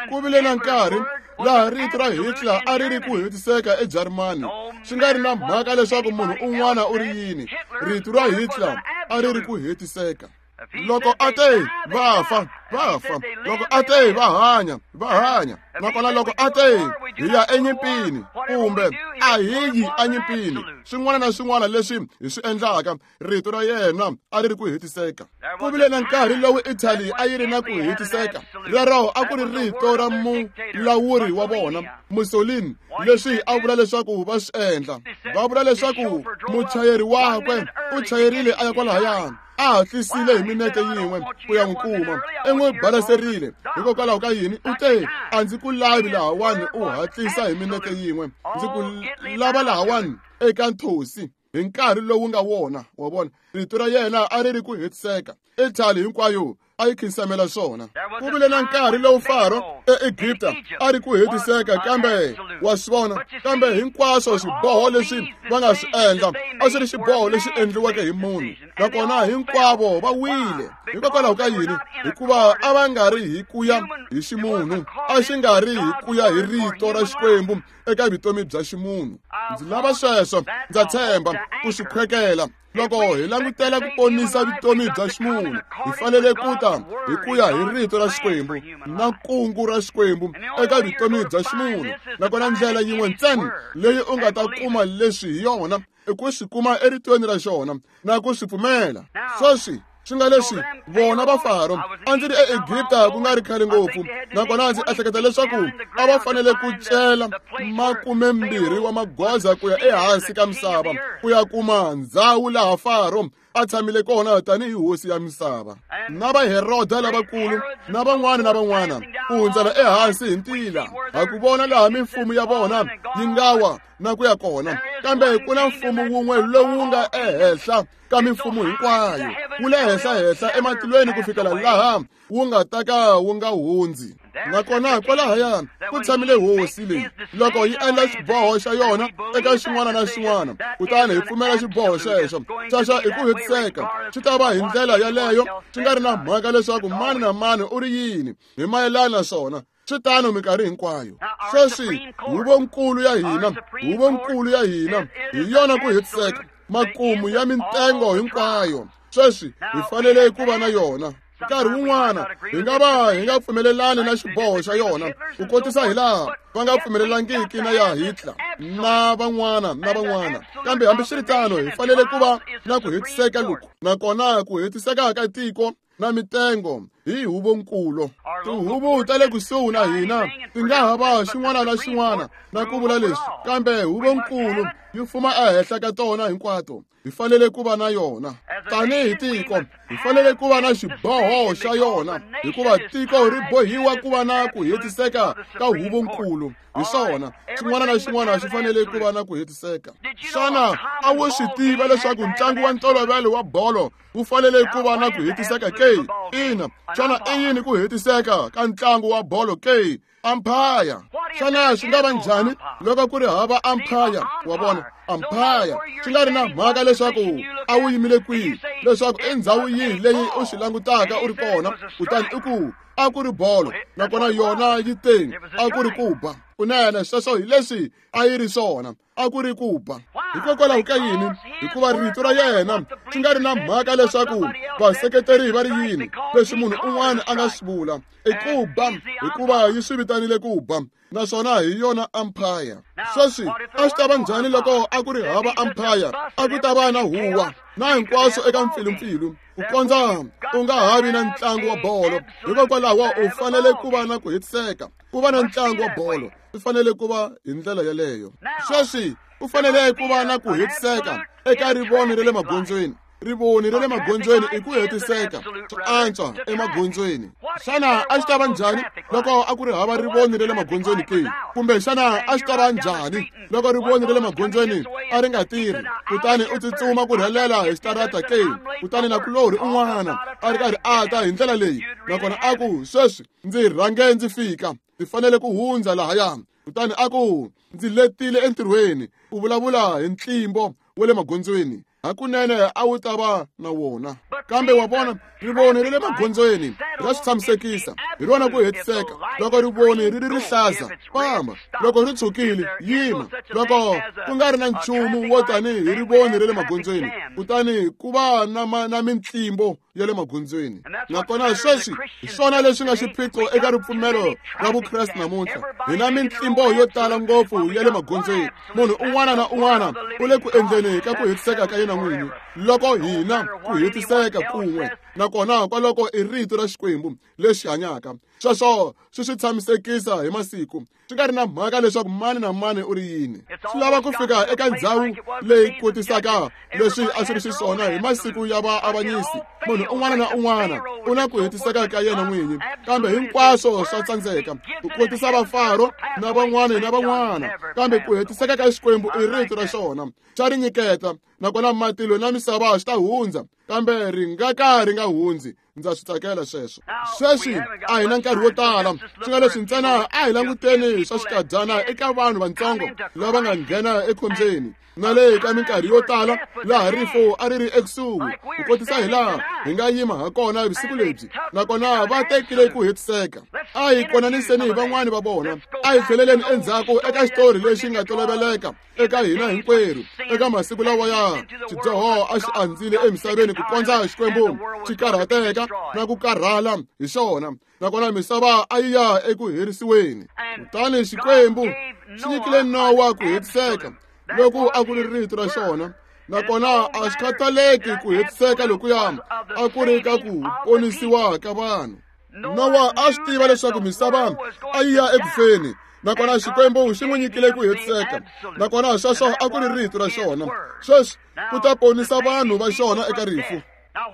Ku vile na nkarhi laha rito ra Hitler a ri ri ku hetiseka eJarimani, swi nga ri na mhaka leswaku munhu un'wana u ri yini, rito ra Hitler a ri ri ku hetiseka. Loko a te va fa, va fa. Loko a te va hanya, va hanya. Nakona loko a te hi ya enyimpini kumbe a hi yi enyimpini, swin'wana na swin'wana leswi hi swi endlaka, rito ra yena a ri ri ku hetiseka. Ku vile na nkarhi lowu Italy a yi ri na ku hetiseka. Rero a ku ri rito ra mulawuri wa vona, Mussolini, leswi a vula leswaku va swi endla. Va vula leswaku muchayeri wakwe u chayerile a ya kwalahayani, a hatlisile hi minete yin'we ku ya n'wi kuma, i n'wi balaserile. Hikokwalaho ka yini? U te, a ndzi ku lavi lahawani u hatlisa hi minete yin'we, ndzi ku lava lahawani eka nthosi hi nkarhi lowu nga wona. Wa vona, rito ra yena a ri ri ku hetiseka. Italy hinkwayo a yi khinsamela swona. Ku vile na nkarhi lowu Faro eEgipta a ri ku hetiseka, kambe wa swi vona, kambe hinkwaswo swiboho leswi va nga swi endla a swi ri xiboho lexi endliweke hi munhu, nakona hinkwavo va wile. Hikokwalaho ka yini? Hikuva a va nga ri hi ku ya hi ximunhu, a xi nga ri hi ku ya hi rito ra Xikwembu eka vutomi bya ximunhu. Ndzi lava sweswo, ndza tshemba ku swi khwekela. Loko hi langutela ku ponisa vutomi bya ximunhu, hi fanele ku ta hi ku ya hi rito ra Xikwembu na kungu ra Xikwembu eka vutomi bya ximunhu. Nakona ndlela yin'we ntsena leyi u nga ta kuma leswi hi yona i ku swi kuma eritweni ra xona na ku swi pfumela. Sweswi swi nga leswi vona va Faro, a ndzi ri eEgipta ku nga ri khale ngopfu, nakona ndzi ehleketa leswaku a va fanele ku cela 20 wa magoza ku ya ehansi ka misava ku ya kuma ndzhawu laha Faro a tshamile kona tanihi hosi ya misava. Na va Heroda lavakulu na van'wana na van'wana ku hundzela ehansi hi ntila, ha ku vona laha mimfumo ya vona yi nga wa na ku ya kona. Kambe ku na mfumo wun'we lowu nga ehenhla ka mimfumo hinkwayo, wu le henhla-henhla ematilweni ku fikela laha wu nga ta ka wu nga hundzi. Nakona kwalahaya ku tshamile hosi leyi loko yi endla xiboho xa yona eka xin'wana na xin'wana, kutani hi pfumela xiboho xexo. Xexo i ku hetiseka, swi ta va hi ndlela yaleyo, swi nga ri na mhaka leswaku mani na mani u ri yini hi mayelana na swona. Swi tano minkarhi hinkwayo. Sweswi huvonkulu ya hina, huvonkulu ya hina hi yona ku hetiseka, makumu ya mintengo hinkwayo. Sweswi hi fanele ku va na yona. Nkarhi wun'wana hi nga va hi nga pfumelelani na xiboho xa yona, ku kotisa hi laha va nga pfumelelangiki na ya Hitler na van'wana na van'wana, kambe hambiswiritano hi fanele ku va na ku hetiseka loku, nakona ku hetiseka ka tiko na mitengo hi huvonkulu. Tihuvo ta le kusuhi na hina ti nga ha va xin'wana na xin'wana na ku vula leswi, kambe huvonkulu yi fuma ehenhla ka tona hinkwato. Hi fanele ku va na yona tanihi tiko, hi fanele ku va na xiboho xa yona, hikuva tiko ri bohiwa ku va na ku hetiseka ka huvonkulu. Hi swona, xin'wana na xin'wana xi fanele ku va na ku hetiseka. Xana a wu swi tiva leswaku ntlangu wa ntolovelo wa bolo wu fanele ku va na ku hetiseka ke? Ina. Xana i yini ku hetiseka ka ntlangu wa bolo ke? Umpire. Xana swi nga va njhani loko ku ri hava umpire? Wa vona, umpire swi nga ri na mhaka leswaku a wu yimile kwihi, leswaku i ndhawu yihi leyi u swi langutaka u ri kona, kutani i ku a ku ri bolo, nakona yona yi teni a ku ri ku ba. Kunene sweswo hi leswi a yi ri swona, a ku ri ku ba. Hikokwalaho ka yini? Hikuva rito ra yena swi nga ri na mhaka leswaku vaseketeri va ri yini, leswi munhu un'wana a nga swi vula i ku ba, hikuva yi swi vitanile ku ba, naswona hi yona umpire. Sweswi a swi ta va njhani loko a ku ri hava umpire? A ku ta va na huwa na hinkwaswo eka mpfilumpfilu ku kondza u nga ha vi na ntlangu wa bolo. Hikokwalaho u fanele ku va na ku hetiseka, ku va na ntlangu wa bolo swi fanele ku va hi ndlela yeleyo. Sweswi ku fanele ku va na ku hetiseka eka rivoni ra le magondzweni. Rivoni ra le magondzweni i ku hetiseka swi antswa emagondzweni. Xana a swi ta va njhani loko a ku ri hava rivoni ra le magondzweni ke? Kumbe xana a swi ta va njhani loko rivoni ra le magondzweni a ri nga tirhi, kutani u tsutsuma ku rhelela hi xitarata ke? Kutani nakulorhi un'wana a ri karhi a ta hi ndlela leyi, nakona a ku, sweswi ndzi rhange ndzi fika, ndzi fanele ku hundza lahaya. Kutani a ku, ndzi letile entirhweni. U vulavula hi ntlimbo wa le magondzweni, hakunene a wu ta va na wona. Kambe wa vona, rivoni ra le magondzweni ra swi tshamisekisa, hi rona ku hetiseka. Loko rivoni ri ri rihlaza, famba. Loko ri tshukile, yima. Loko ku nga ri na nchumu wo tanihi rivoni ra le magondzweni, kutani ku va na mintlimbo ya le magondzweni. Nakona sweswi hi swona leswi nga xiphiqo eka ripfumelo ra Vukreste namuntlha. Hi na mintlimbo yo tala ngopfu ya le magondzweni. Munhu un'wana na un'wana u le ku endleni ka ku hetiseka ka yena n'wini, loko hina ku hetiseka kun'we, nakona kwaloko i rito ra Xikwembu lexi hanyaka. Sweswo swi swi tshamisekisa hi masiku, swi nga ri na mhaka leswaku mani na mani u ri yini. Swi lava ku fika eka ndhawu leyi kotisaka leswi a swi ri xiswona hi masiku ya vaavanyisi. Munhu un'wana na un'wana u na ku hetiseka ka yena n'winyi, kambe hinkwaswo swa tsandzeka ku kotisa vafaro na van'wana na van'wana. Kambe ku hetiseka ka Xikwembu i rito ra xona, xa ri nyiketa, nakona matilo na misava swi ta hundza, kambe ri nga ka ri nga hundzi. Ndza swi tsakela sweswo. Sweswi a hi na nkarhi wo tala, swi nga leswi ntsena a hi languteni swa xikadyana eka vanhu vatsongo lava nga nghena ekhombyeni, na le ka minkarhi yo tala laha rifu a ri ri ekusuhi, ku kotisa hi laha hi nga yima ha kona vusiku lebyi, nakona va tekile ku hetiseka. A hi konaniseni van'wani va vona, a hi tlheleleni endzhaku eka xitori lexi nga toloveleka eka hina hinkwerhu eka masiku lawa ya xidyoho a xi andzile emisaveni ku kondza Xikwembu xi karhateka na ku karhala hi xona, nakona misava a yi ya eku herisiweni. Kutani Xikwembu xi nyikile Nowa ku hetiseka loku a ku ri rito ra xona, nakona a xi khathaleki ku hetiseka lokuya a ku ri ka ku ponisiwa ka vanhu. Nowa a swi tiva leswaku misava a yi ya eku feni, nakona Xikwembu xi n'wi nyikile ku hetiseka, nakona sweswo a ku ri rito ra xona. Sweswi ku ta ponisa vanhu va xona eka rifu.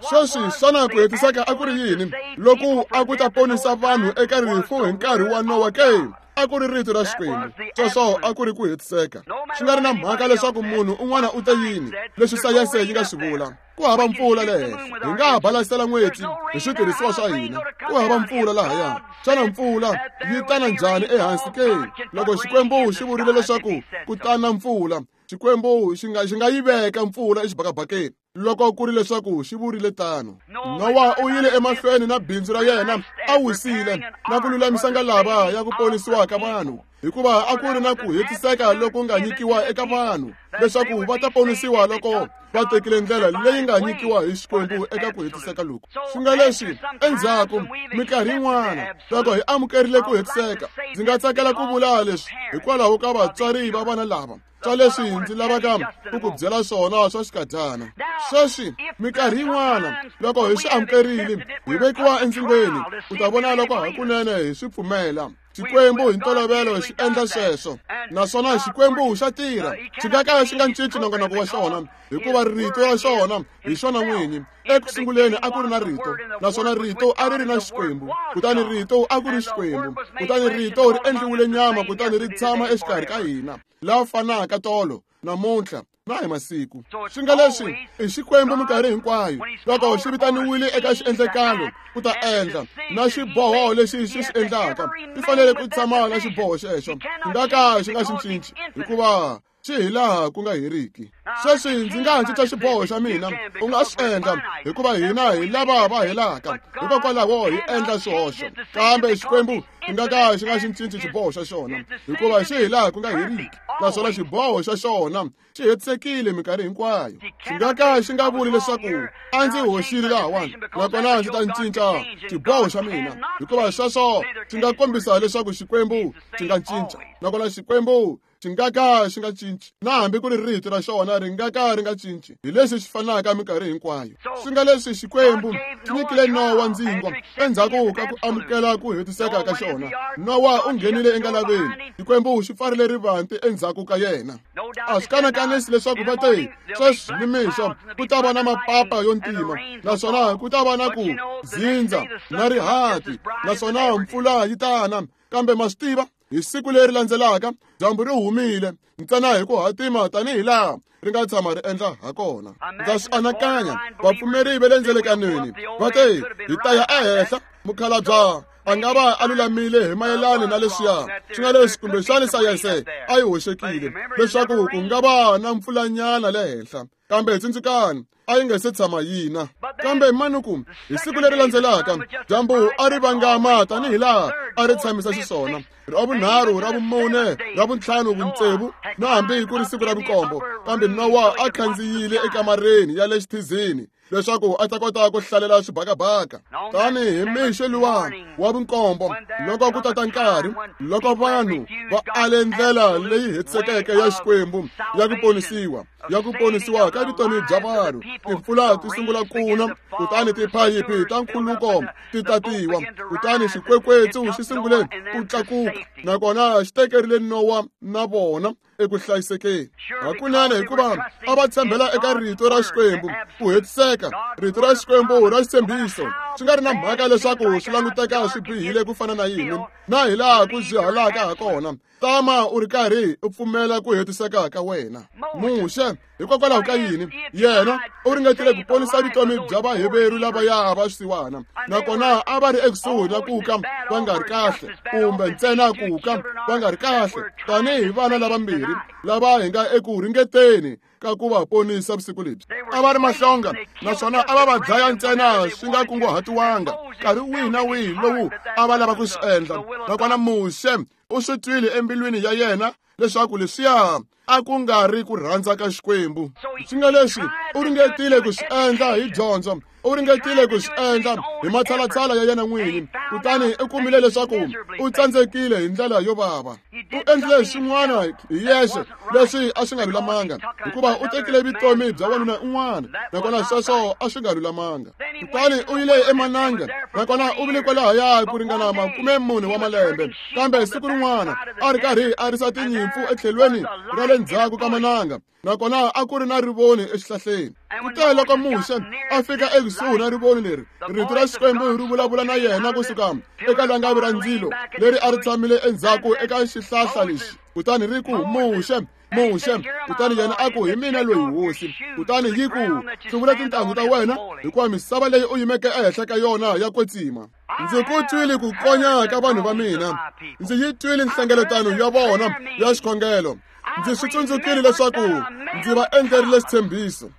Sweswi xana ku hetiseka a ku ri yini loku a ku ta ponisa vanhu eka rifu hi nkarhi wa Nowa ke? A ku ri rito ra Xikwembu. Sweswo a ku ri ku hetiseka. Swi nga ri na mhaka leswaku munhu un'wana u te yini, leswi sayense yi nga swi vula. Ku hava mpfula le henhla, hi nga balasela n'weti hi switirhisiwa swa hina. Ku hava mpfula lahaya. Xana mpfula yi tana njhani ehansi ke? Loko Xikwembu xi vurile leswaku ku tana mpfula, Xikwembu xi nga yi veka mpfula exibakabakeni loko ku ri leswaku xi vurile tano. Nowa u yile emahlweni na bindzu ra yena, a wisile na ku lulamisa ngalava ya ku ponisiwa ka vanhu, hikuva a ku ri na ku hetiseka loku nga nyikiwa eka vanhu leswaku va ta ponisiwa loko va tekile ndlela leyi nga nyikiwa hi Xikwembu eka ku hetiseka loku. Swi nga leswi endzhaku minkarhi yin'wana loko hi amukerile ku hetiseka, ndzi nga tsakela ku vula leswi hikwalaho ka vatswari va vana lava swa leswi ndzi lavaka ku ku byela swona swa xikadyana. Sweswi minkarhi yin'wana loko hi swi amukerile hi vekiwa endzingweni ku ta vona loko hakunene hi swi pfumela. Xikwembu hi ntolovelo xi endla sweswo, naswona Xikwembu xa tirha, xi nga ka xi nga cinci nongonoko wa xona, hikuva rito ra xona hi xona n'winyi. Eku sunguleni a ku ri na rito, naswona rito a ri ri na Xikwembu, kutani rito a ku ri Xikwembu, kutani rito ri endliwile nyama kutani ri tshama exikarhi ka hina, la fanaka tolo, namuntlha na hi masiku. Swi nga leswi i Xikwembu minkarhi hinkwayo loko xi vitaniwile eka xiendlekalo ku ta endla na xiboho lexi xi xi endlaka, xi fanele ku tshama na xiboho xexo, xi nga ka xi nga xi cinci, hikuva Xi hi laha ku nga heriki. Sweswi ndzi nga cinca xiboho xa mina, u nga swi endla, hikuva hina hi lava va helaka, hikokwalaho hi endla swihoxo. Kambe Xikwembu xi nga ka xi nga xi cinci xiboho xa xona, hikuva xi hi laha ku nga heriki, naswona xiboho xa xona xi hetisekile minkarhi hinkwayo. Xi nga ka xi nga vuli leswaku a ndzi hoxile lahawani, nakona ndzi ta cinca xiboho xa mina, hikuva sweswo swi nga kombisa leswaku Xikwembu xi nga cinca, nakona Xikwembu xi nga ka xi nga cinci, na hambi ku ri rito ra xona ri nga ka ri nga cinci. Hi leswi xi fanaka minkarhi hinkwayo. Swi nga leswi Xikwembu xi nyikile Nowa ndzingo endzhaku ka ku amukela ku hetiseka ka xona. Nowa u nghenile engalaveni, Xikwembu xi pfarile rivanti endzhaku ka yena. A swi kanakanisi leswaku va te, sweswi nimixo ku ta va na mapapa yo ntima, naswona ku ta va na ku dzindza na rihati, naswona mpfula yi ta na. Kambe ma swi tiva, hi siku leri landzelaka dyambu ri humile ntsena hi ku hatima tanihi laha ri nga tshama ri endla ha kona. Ndza swi anakanya vapfumeri va le ndzelekanweni va te, hi ta ya ehenhla, mukhalabya a nga va a lulamile hi mayelani na leswiya swi nga leswi kumbexani sayense a yi hoxekile leswaku ku nga va na mpfulanyana le henhla. Kambe tsundzukani, a yi nga se tshama yina. Kambe manuku hi siku leri landzelaka dyambu a ri vangama tanihi laha a ri tshamisa xiswona, ra vunharhu, ra vumune, ra vuntlhanu, vutsevu, na hambi ku ri siku ra vunkombo. Kambe Nowa a khandziyile ekamareni ya le xithizini leswaku a ta kota ku hlalela swibakabaka. Tanihi mixo luwa wa vunkombo, loko ku tata nkarhi loko vanhu va ale ndlela leyi hetisekeke ya Xikwembu ya ku ponisiwa, ya ku ponisiwa ka vutomi bya vanhu, timpfula ti sungula ku na, kutani tiphayiphi ta nkhuluko ti tatiwa, kutani xikwekwetsu xi sungule ku tlakuka, nakona xi tekerile Nowa na vona eku hlayisekeni. Hakunene, hikuva a va tshembela eka rito ra Xikwembu ku hetiseka, rito ra Xikwembu ra xitshembiso, swi nga ri na mhaka leswaku swi languteka swi bihile ku fana na yini, na hi laha ku byihalaka ha kona. Tama u ri karhi u pfumela ku hetiseka ka wena. Muxe, hikokwalaho ka yini yena u ringetile ku ponisa vutomi bya Vaheveru lavaya va swisiwana, nakona a va ri ekusuhi na ku ka va nga ri kahle, kumbe ntsena ku ka va nga ri kahle, tanihi vana lavambirhi lava hi nga eku ringeteni ka ku va ponisa vusiku lebyi. A va ri mahlonga, naswona a va va dlaya ntsena swi nga kunguhatiwanga nkarhi wihi na wihi lowu a va lava ku swi endla. Nakona Muxe u swi twile embilwini ya yena leswaku leswiya a ku nga ri ku rhandza ka Xikwembu. Swi nga leswi u ringetile ku swi endla hi dyondzo, u ringetile ku swi endla hi matshalatshala ya yena n'wini, kutani u kumile leswaku u tsandzekile hi ndlela yo vava. U endlile swin'wana hi yexe leswi a swi nga lulamanga, hikuva u tekile vutomi bya wanuna un'wana, nakona sweswo a swi nga lulamanga. Kutani u yile emananga, nakona u vile kwalahaya ku ringana 40 wa malembe. Kambe siku rin'wana a ri karhi a risa tinyimpfu etlhelweni ra le ndzhaku ka mananga, nakona a ku ri na rivoni exihlahleni. Kute loko Muxe a fika ekusuhi na rivoni leri, rito ra Xikwembu ri vulavula na yena kusuka eka langavi ra ndzilo leri a ri tshamile endzhaku eka xihlahla lexi, kutani ri ku, Muxe, Muxe. Kutani yena a ku, hi mina loyi, Hosi. Kutani yi ku, hluvula tintangu ta wena, hikuva misava leyi u yimeke ehenhla ka yona ya kwetsima. Ndzi ku twile ku konya ka vanhu va mina, ndzi yi twile nhlengeletano ya vona ya xikhongelo, ndzi swi tsundzukile leswaku ndzi va endlerile xitshembiso.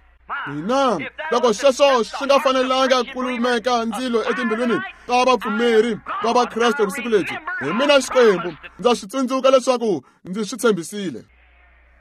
Hina, loko sweswo swi nga fanelanga ku lumeka ndzilo etimbilwini ta vapfumeri va Vakreste vusiku lebyi, hi mina Xikwembu ndza swi tsundzuka leswaku ndzi swi tshembisile.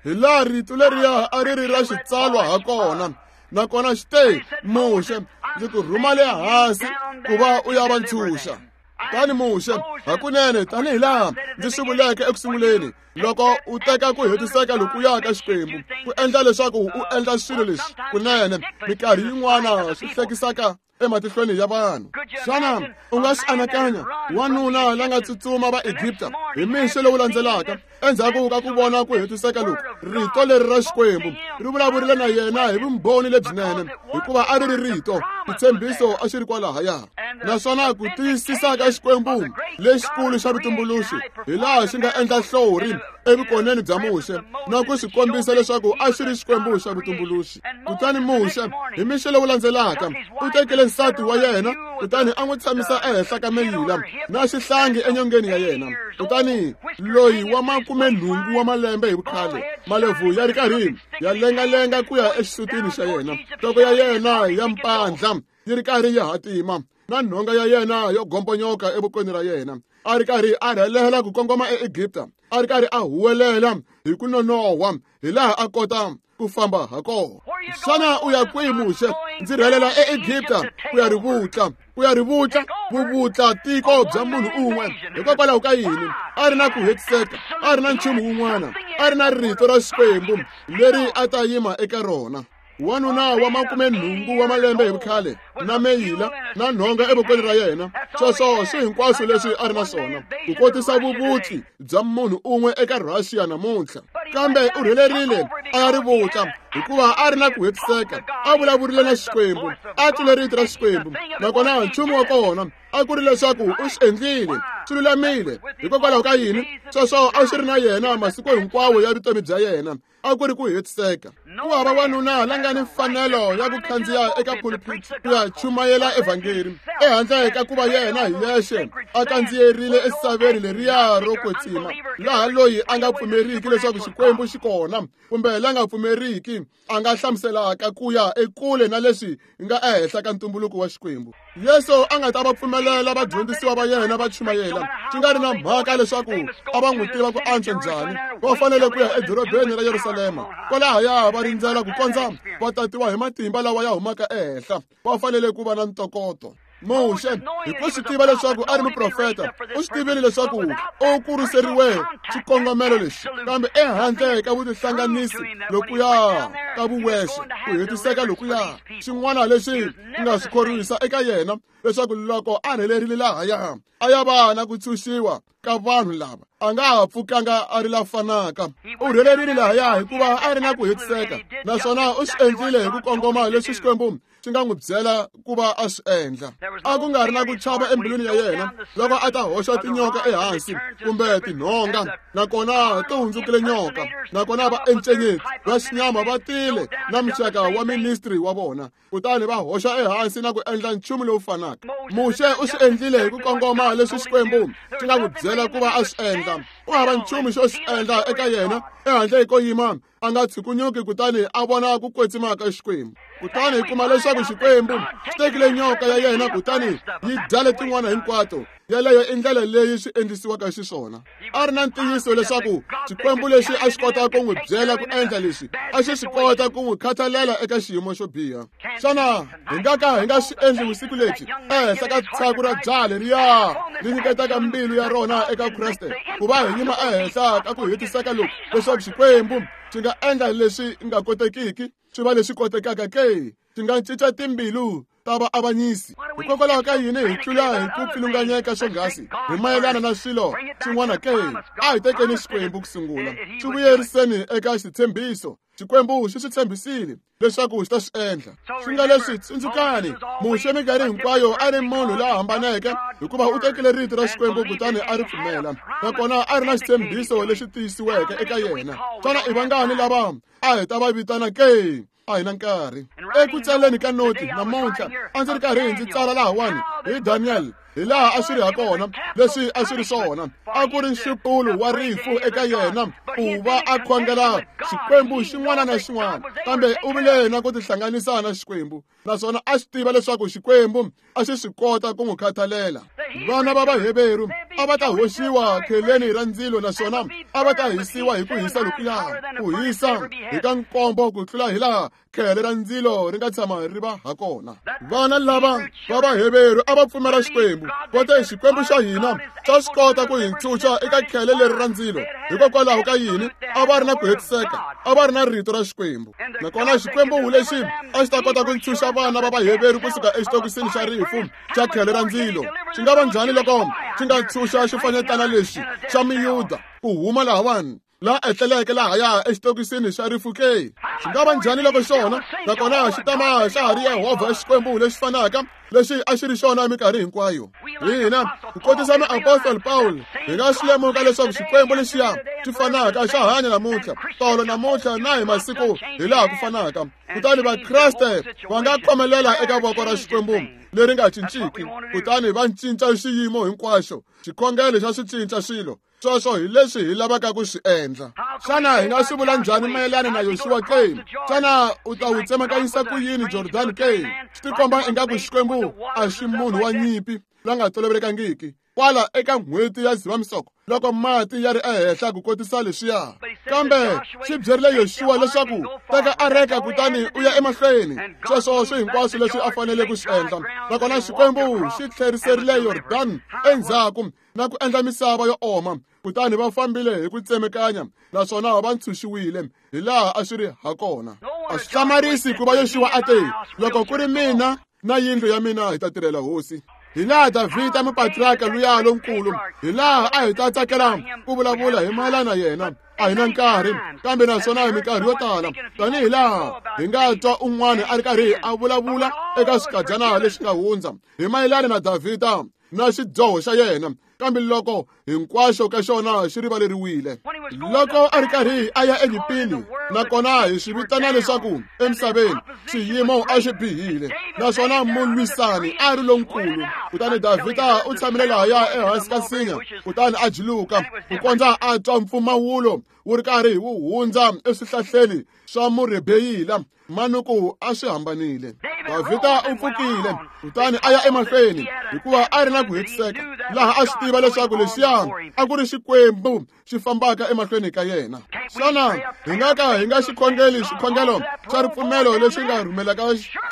Hi laha rito leriya a ri ri ra xitsalwa ha kona, nakona xi te, Muxe, ndzi ku rhuma le hansi ku va u ya va ntshunxa. Kutani Muxe, hakunene tanihi laha ndzi swi vuleke eku sunguleni, loko u teka ku hetiseka lokuya ka Xikwembu ku endla leswaku u endla swilo leswi kunene minkarhi yin'wana swi hlekisaka ematihlweni ya vanhu. Xana u nga swi anakanya wanuna la nga tsutsuma va Egipta hi mixo lowu landzelaka endzhaku ka ku vona ku hetiseka loku? Rito leri ra Xikwembu ri vulavurile na yena hi vumbhoni lebyinene, hikuva a ri ri rito, xitshembiso a xi ri kwalahaya. Naswona ku tiyisisa ka Xikwembu lexikulu xa vutumbuluxi hi laha xi nga endla hlori evukoneni bya Muxe na ku swi kombisa leswaku a xi ri Xikwembu xa vutumbuluxi. Kutani Muxe hi mixo lowu landzelaka u tekile nsati wa yena kutani a n'wi tshamisa ehenhla ka meyila na xihlangi enyongeni ya yena. Kutani loyi wa 80 wa malembe hi vukhale, malebvu ya ri karhi ya lengalenga ku ya exisutini xa yena, nhloko ya yena ya mpandla yi ri karhi yi hatima na nhonga ya yena yo gomponyoka evokweni ra yena, a ri karhi a rhelela ku kongoma eEgipta, a ri karhi a huwelela hi ku nonohwa hi laha a kota ku famba ha kona. Xana u ya kwihi Muxe? Ndzi rhelela eEgipta ku ya ri vutla, ku ya ri vutla, vuvutla tiko bya munhu un'we. Hikokwalaho ka yini? A ri na ku hetiseka, a ri na nchumu wun'wana, a ri na rito ra Xikwembu leri a ta yima eka rona. Wanuna wa 80 wa malembe hi vukhale na meyila na nhonga evokweni ra yena, sweswo swi hinkwaswo leswi a ri na swona ku kotisa vuvutli bya munhu un'we eka Russia namuntlha. Kambe u rhelerile a ya ri vutla hikuva a ri na ku hetiseka, a vulavurile na Xikwembu, a twile rito ra Xikwembu, nakona nchumu wa kona a ku ri leswaku u swi endlile swi lulamile. Hikokwalaho ka yini? Sweswo a swi ri na yena masiku hinkwawo ya vutomi bya yena, a ku ri ku hetiseka. Ku hava wanuna la nga ni mfanelo ya ku khandziya eka pulpit ku ya chumayela evhangeli ehandle ka ku va yena hi yexe a kandziyerile esaveni leriya ro kwetsima, laha loyi a nga pfumeriki leswaku Xikwembu xi kona kumbe la nga pfumeriki a nga hlamuselaka ku ya ekule na leswi nga ehenhla ka ntumbuluko wa Xikwembu. Yesu a nga ta va pfumelela vadyondzisiwa va yena va chumayela swi nga ri na mhaka leswaku a va n'wi tiva ku antswa njhani. Va fanele ku ya edorobeni ra Yerusalema, kwalahaya va rindzela ku kondza va tatiwa hi matimba lawa ya humaka ehenhla. Va fanele ku va na ntokoto. Muxe hi ku swi tiva leswaku a ri muprofeta, u swi tivile leswaku u kuriseriwe xikongomelo lexi, kambe ehandle ka vutihlanganisi lokuya ka vuwexe, ku hetiseka lokuya, xin'wana lexi nga swi khorwisa eka yena leswaku loko a rhelerile lahaya a ya va na ku tshunxiwa ka vanhu lava, a nga ha pfukanga a ri la fanaka. U rhelerile lahaya hikuva a ri na ku hetiseka, naswona u swi endlile hi ku kongoma leswi Xikwembu swi nga n'wi byela ku va a swi endla. A ku nga ri na ku chava embilwini ya yena loko a ta hoxa tinyoka ehansi kumbe tinhonga, nakona ti hundzukile nyoka, nakona va encenyeti va xinyama va tile na muxaka wa ministry wa vona, kutani va hoxa ehansi na ku endla nchumu lowu fanaka. Muxe u swi endlile hi ku kongoma leswi Xikwembu xi nga n'wi byela ku va a swi endla. U hava nchumu xo xi endla eka yena ehandle ko yima a nga tshukunyuki kutani a vona ku kwetsima ka Xikwembu. Kutani hi kuma leswaku Xikwembu xi tekile nyoka ya yena kutani yi dya letin'wana hinkwato. Yeleyo i ndlela leyi swi endlisiwaka xiswona. A ri na ntiyiso leswaku Xikwembu lexi a xi kota ku n'wi byela ku endla leswi a xi swi kota ku n'wi khathalela eka xiyimo xo biha. Xana hi nga ka hi nga swi endli vusiku lebyi ehenhla ka tshaku ra jaha leriya ri nyiketaka mbilu ya rona eka Kreste ku va hi yima ehenhla ka ku hetiseka loku leswaku Xikwembu xi nga endla leswi nga kotekiki swi va leswi kotekaka ke? Xi nga cinca timbilu ta vaavanyisi. Hikokwalaho ka yini hi tlula hi ku pfilunganyeka swonghasi hi mayelana na swilo swin'wana ke? A hi tekeni Xikwembu ku sungula, swi vuyeriseni eka xitshembiso. Xikwembu xi swi tshembisile leswaku xi ta swi endla. Swi nga leswi, tsundzukani, Muxe minkarhi hinkwayo a ri munhu la hambaneke hikuva u tekile rito ra Xikwembu kutani a ri pfumela, nakona a ri na xitshembiso lexi tiyisiweke eka yena. Xana i vangani lava a hi ta va vitana ke? A hi na nkarhi. Eku tsaleni ka noti namuntlha a ndzi ri karhi ndzi tsala lahawani hi Daniel, hi laha a swi ri ha kona leswi a swi ri swona. A ku ri nxupulo wa rifu eka yena ku va a khongela Xikwembu xin'wana na xin'wana, kambe u vile na ku tihlanganisa na Xikwembu, naswona a swi tiva leswaku Xikwembu a xi swi kota ku n'wi khathalela. Vana va Vaheveru a va ta hoxiwa kheleni ra ndzilo naswona a va ta hisiwa hi ku hisa lokuya, ku hisa hi ka nkombo ku tlula hi laha khele ra ndzilo ri nga tshama ri va ha kona. Vana lava va Vaheveru a va pfumela Xikwembu, va te Xikwembu xa hina xa swi kota ku hi ntshunxa eka khele leri ra ndzilo. Hikokwalaho ka yini? A va ri na ku hetiseka, a va ri na rito ra Xikwembu. Nakona Xikwembu lexi a xi ta kota ku ntshunxa vana va Vaheveru kusuka exitokisini xa rifu xa khele ra ndzilo, xi nga va njhani loko xi nga ntshunxa xifanyetana lexi xa Miyuda ku huma lahawani la etleleke lahaya exitokisini xa rifu ke? Xi nga va njhani loko xona nakona xi tama xa ha ri Yehovha Xikwembu lexi fanaka lexi a xi ri xona minkarhi hinkwayo? Hina ku kotisa muapostoli Pawulo hi nga swi lemuka leswaku Xikwembu lexiya xi fanaka xa hanya namuntlha, tolo namuntlha na hi masiku hi laha ku fanaka. Kutani Vakreste va nga khomelela eka voko ra Xikwembu leri nga cinciki, kutani va cinca xiyimo hinkwaxo. Xikhongelo xa swi cinca swilo. Sweswo hi leswi hi lavaka ku swi endla. Xana hi nga swi vula njhani mayelana na Yoxuwa ke? Xana u ta wu tsemakanyisa ku yini Jordani ke? Swi tikomba ingaku Xikwembu a xi munhu wa nyimpi la nga tolovelekangiki kwala eka n'hweti ya Dzivamisoko loko mati ya ri ehenhla ku kotisa leswiya. Kambe xi byerile Yoxuwa leswaku teka areka kutani u ya emahlweni. Sweswo swi hinkwaswo leswi a fanele ku swi endla. Nakona Xikwembu xi tlheriserile Yordani endzhaku na ku endla misava yo oma, kutani va fambile hi ku tsemekanya naswona va ntshunxiwile hi laha a swi ri ha kona. A swi hlamarisi ku va Yoxuwa a te, loko ku ri mina na yindlu ya mina hi ta tirhela hosi. Hi laha Davhida mupatriarka luya lonkulu, hi laha a hi ta tsakela ku vulavula hi mayelana yena. A hi na nkarhi, kambe naswona hi minkarhi yo tala tanihi laha hi nga twa un'wana a ri karhi a vulavula eka swikadyana leswi nga hundza hi mayelana na Davhida na xidyoho xa yena, kambe loko hinkwaxo ka xona xi rivaleriwile. Loko a ri karhi a ya enyimpini, nakona hi swi vitana leswaku emisaveni xiyimo a xi bihile naswona mulwisani a ri lonkulu. Kutani Davhida u tshamile lahaya ehansi ka nsinya kutani a juluka ku kondza a twa mpfumawulo wu ri karhi wu hundza eswihlahleni swa murebeyila. Manuku a swi hambanile. Davhida u pfukile kutani a ya emahlweni hikuva a ri na ku hetiseka laha a swi tiva leswaku lexiya a ku ri Xikwembu xi fambaka emahlweni ka yena. Xana hi nga ka hi nga xi khongeli xikhongelo xa ripfumelo lexi nga rhumelaka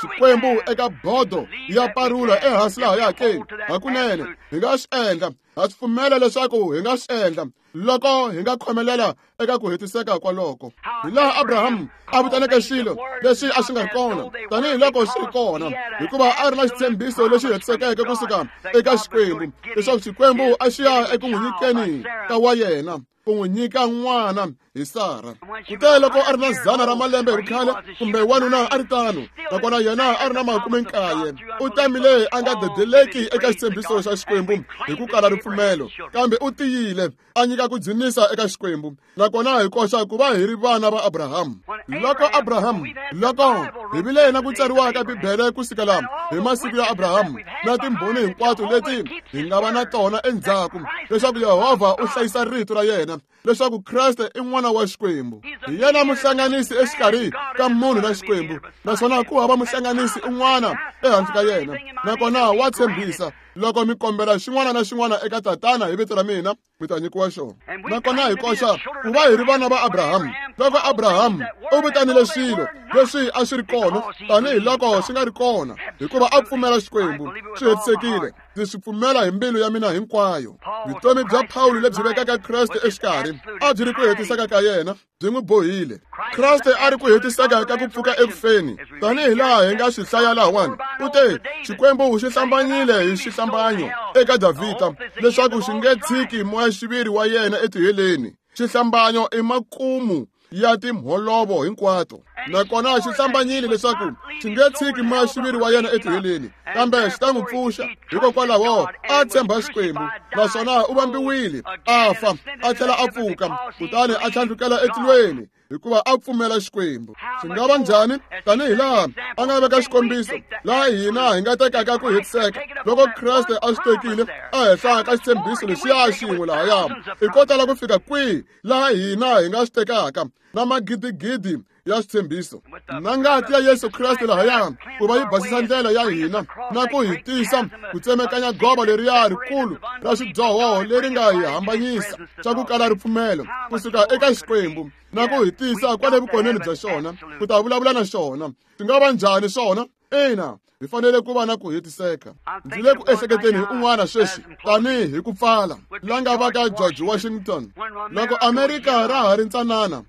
Xikwembu eka bodo ya parula ehansi lahaya ke? Hakunene hi nga swi endla. Ha swi pfumela leswaku hi nga swi endla loko hi nga khomelela eka ku hetiseka kwaloko. Hi laha Abraham a vitaneke swilo leswi a swi nga ri kona tanihi loko swi ri kona, hikuva a ri na xitshembiso lexi hetisekeke kusuka eka Xikwembu leswaku Xikwembu a xi ya eku n'wi nyikeni ka wa yena, ku n'wi nyika n'wana hi Sara. Kute loko a ri na 100 ra malembe hi vukhale, kumbe wanuna a ri tano, nakona yena a ri na 90, u tamile a nga dedeleki eka xitshembiso xa Xikwembu hi ku kala ripfumelo, kambe u tiyile a nyika ku dzunisa eka Xikwembu. Nakona hi koxa ku va hi ri vana va Abraham. Loko Abraham, loko hi vile na ku tsariwa ka Bibele ku sukela hi masiku ya Abraham na timbhoni hinkwato leti hi nga va na tona endzhaku, leswaku Yehovha u hlayisa rito ra yena, leswaku Kreste i n'wana wa Xikwembu. Hi yena muhlanganisi exikarhi ka munhu na Xikwembu, naswona ku hava muhlanganisi un'wana ehansi ka yena. Nakona wa tshembisa, loko mi kombela xin'wana na xin'wana eka Tatana hi vito ra mina, mi ta nyikiwa xona. Nakona hi koxa ku va hi ri vana va Abraham. Loko Abraham u vitanile swilo leswi a swi ri kona tanihi loko swi nga ri kona, hikuva a pfumela Xikwembu, swi hetisekile. Ndzi swi pfumela hi mbilu ya mina hinkwayo. Vutomi bya Pawulo lebyi vekaka Kreste exikarhi a byi ri ku hetiseka ka yena, byi n'wi bohile. Kreste a ri ku hetiseka ka ku pfuka ekufeni, tanihi laha hi nga swi hlaya lahawani. U te, Xikwembu xi hlambanyile hi xihlambanyo eka Davhida leswaku xi nge tshiki moya-xiviri wa yena etiheleni. Xihlambanyo i makumu ya timholovo hinkwato. Nakona xi hlambanyile leswaku xi nge tshiki moya-xiviri wa yena etiheleni, kambe xi ta n'wi pfuxa. Hikokwalaho a tshemba Xikwembu, naswona u vambiwile, a fa, a tlhela a pfuka, kutani a tlhandlukela etilweni, hikuva a pfumela Xikwembu. Swi nga va njhani tanihi laha a nga veka xikombiso laha hina hi nga tekaka ku hetiseka loko Kreste a swi tekile ehenhla ka xitshembiso lexiya xin'we lahaya? I ko tala ku fika kwihi laha hina hi nga swi tekaka na magidigidi ya switshembiso na ngati ya Yesu Kreste lahaya ku va yi basisa ndlela ya hina na ku hi tisa ku tsemekanya gova leriya rikulu ra swidyoho leri nga hi hambanyisa xa ku kala ripfumelo kusuka eka Xikwembu na ku hi tisa kwale vukoneni bya xona ku ta vulavula na xona. Swi nga va njhani swona? Ina, hi fanele ku va na ku hetiseka. Ndzi le ku ehleketeni hi un'wana sweswi tanihi hi ku pfala, la nga va ka George Washington. Loko Amerika ra ha ri ntsanana,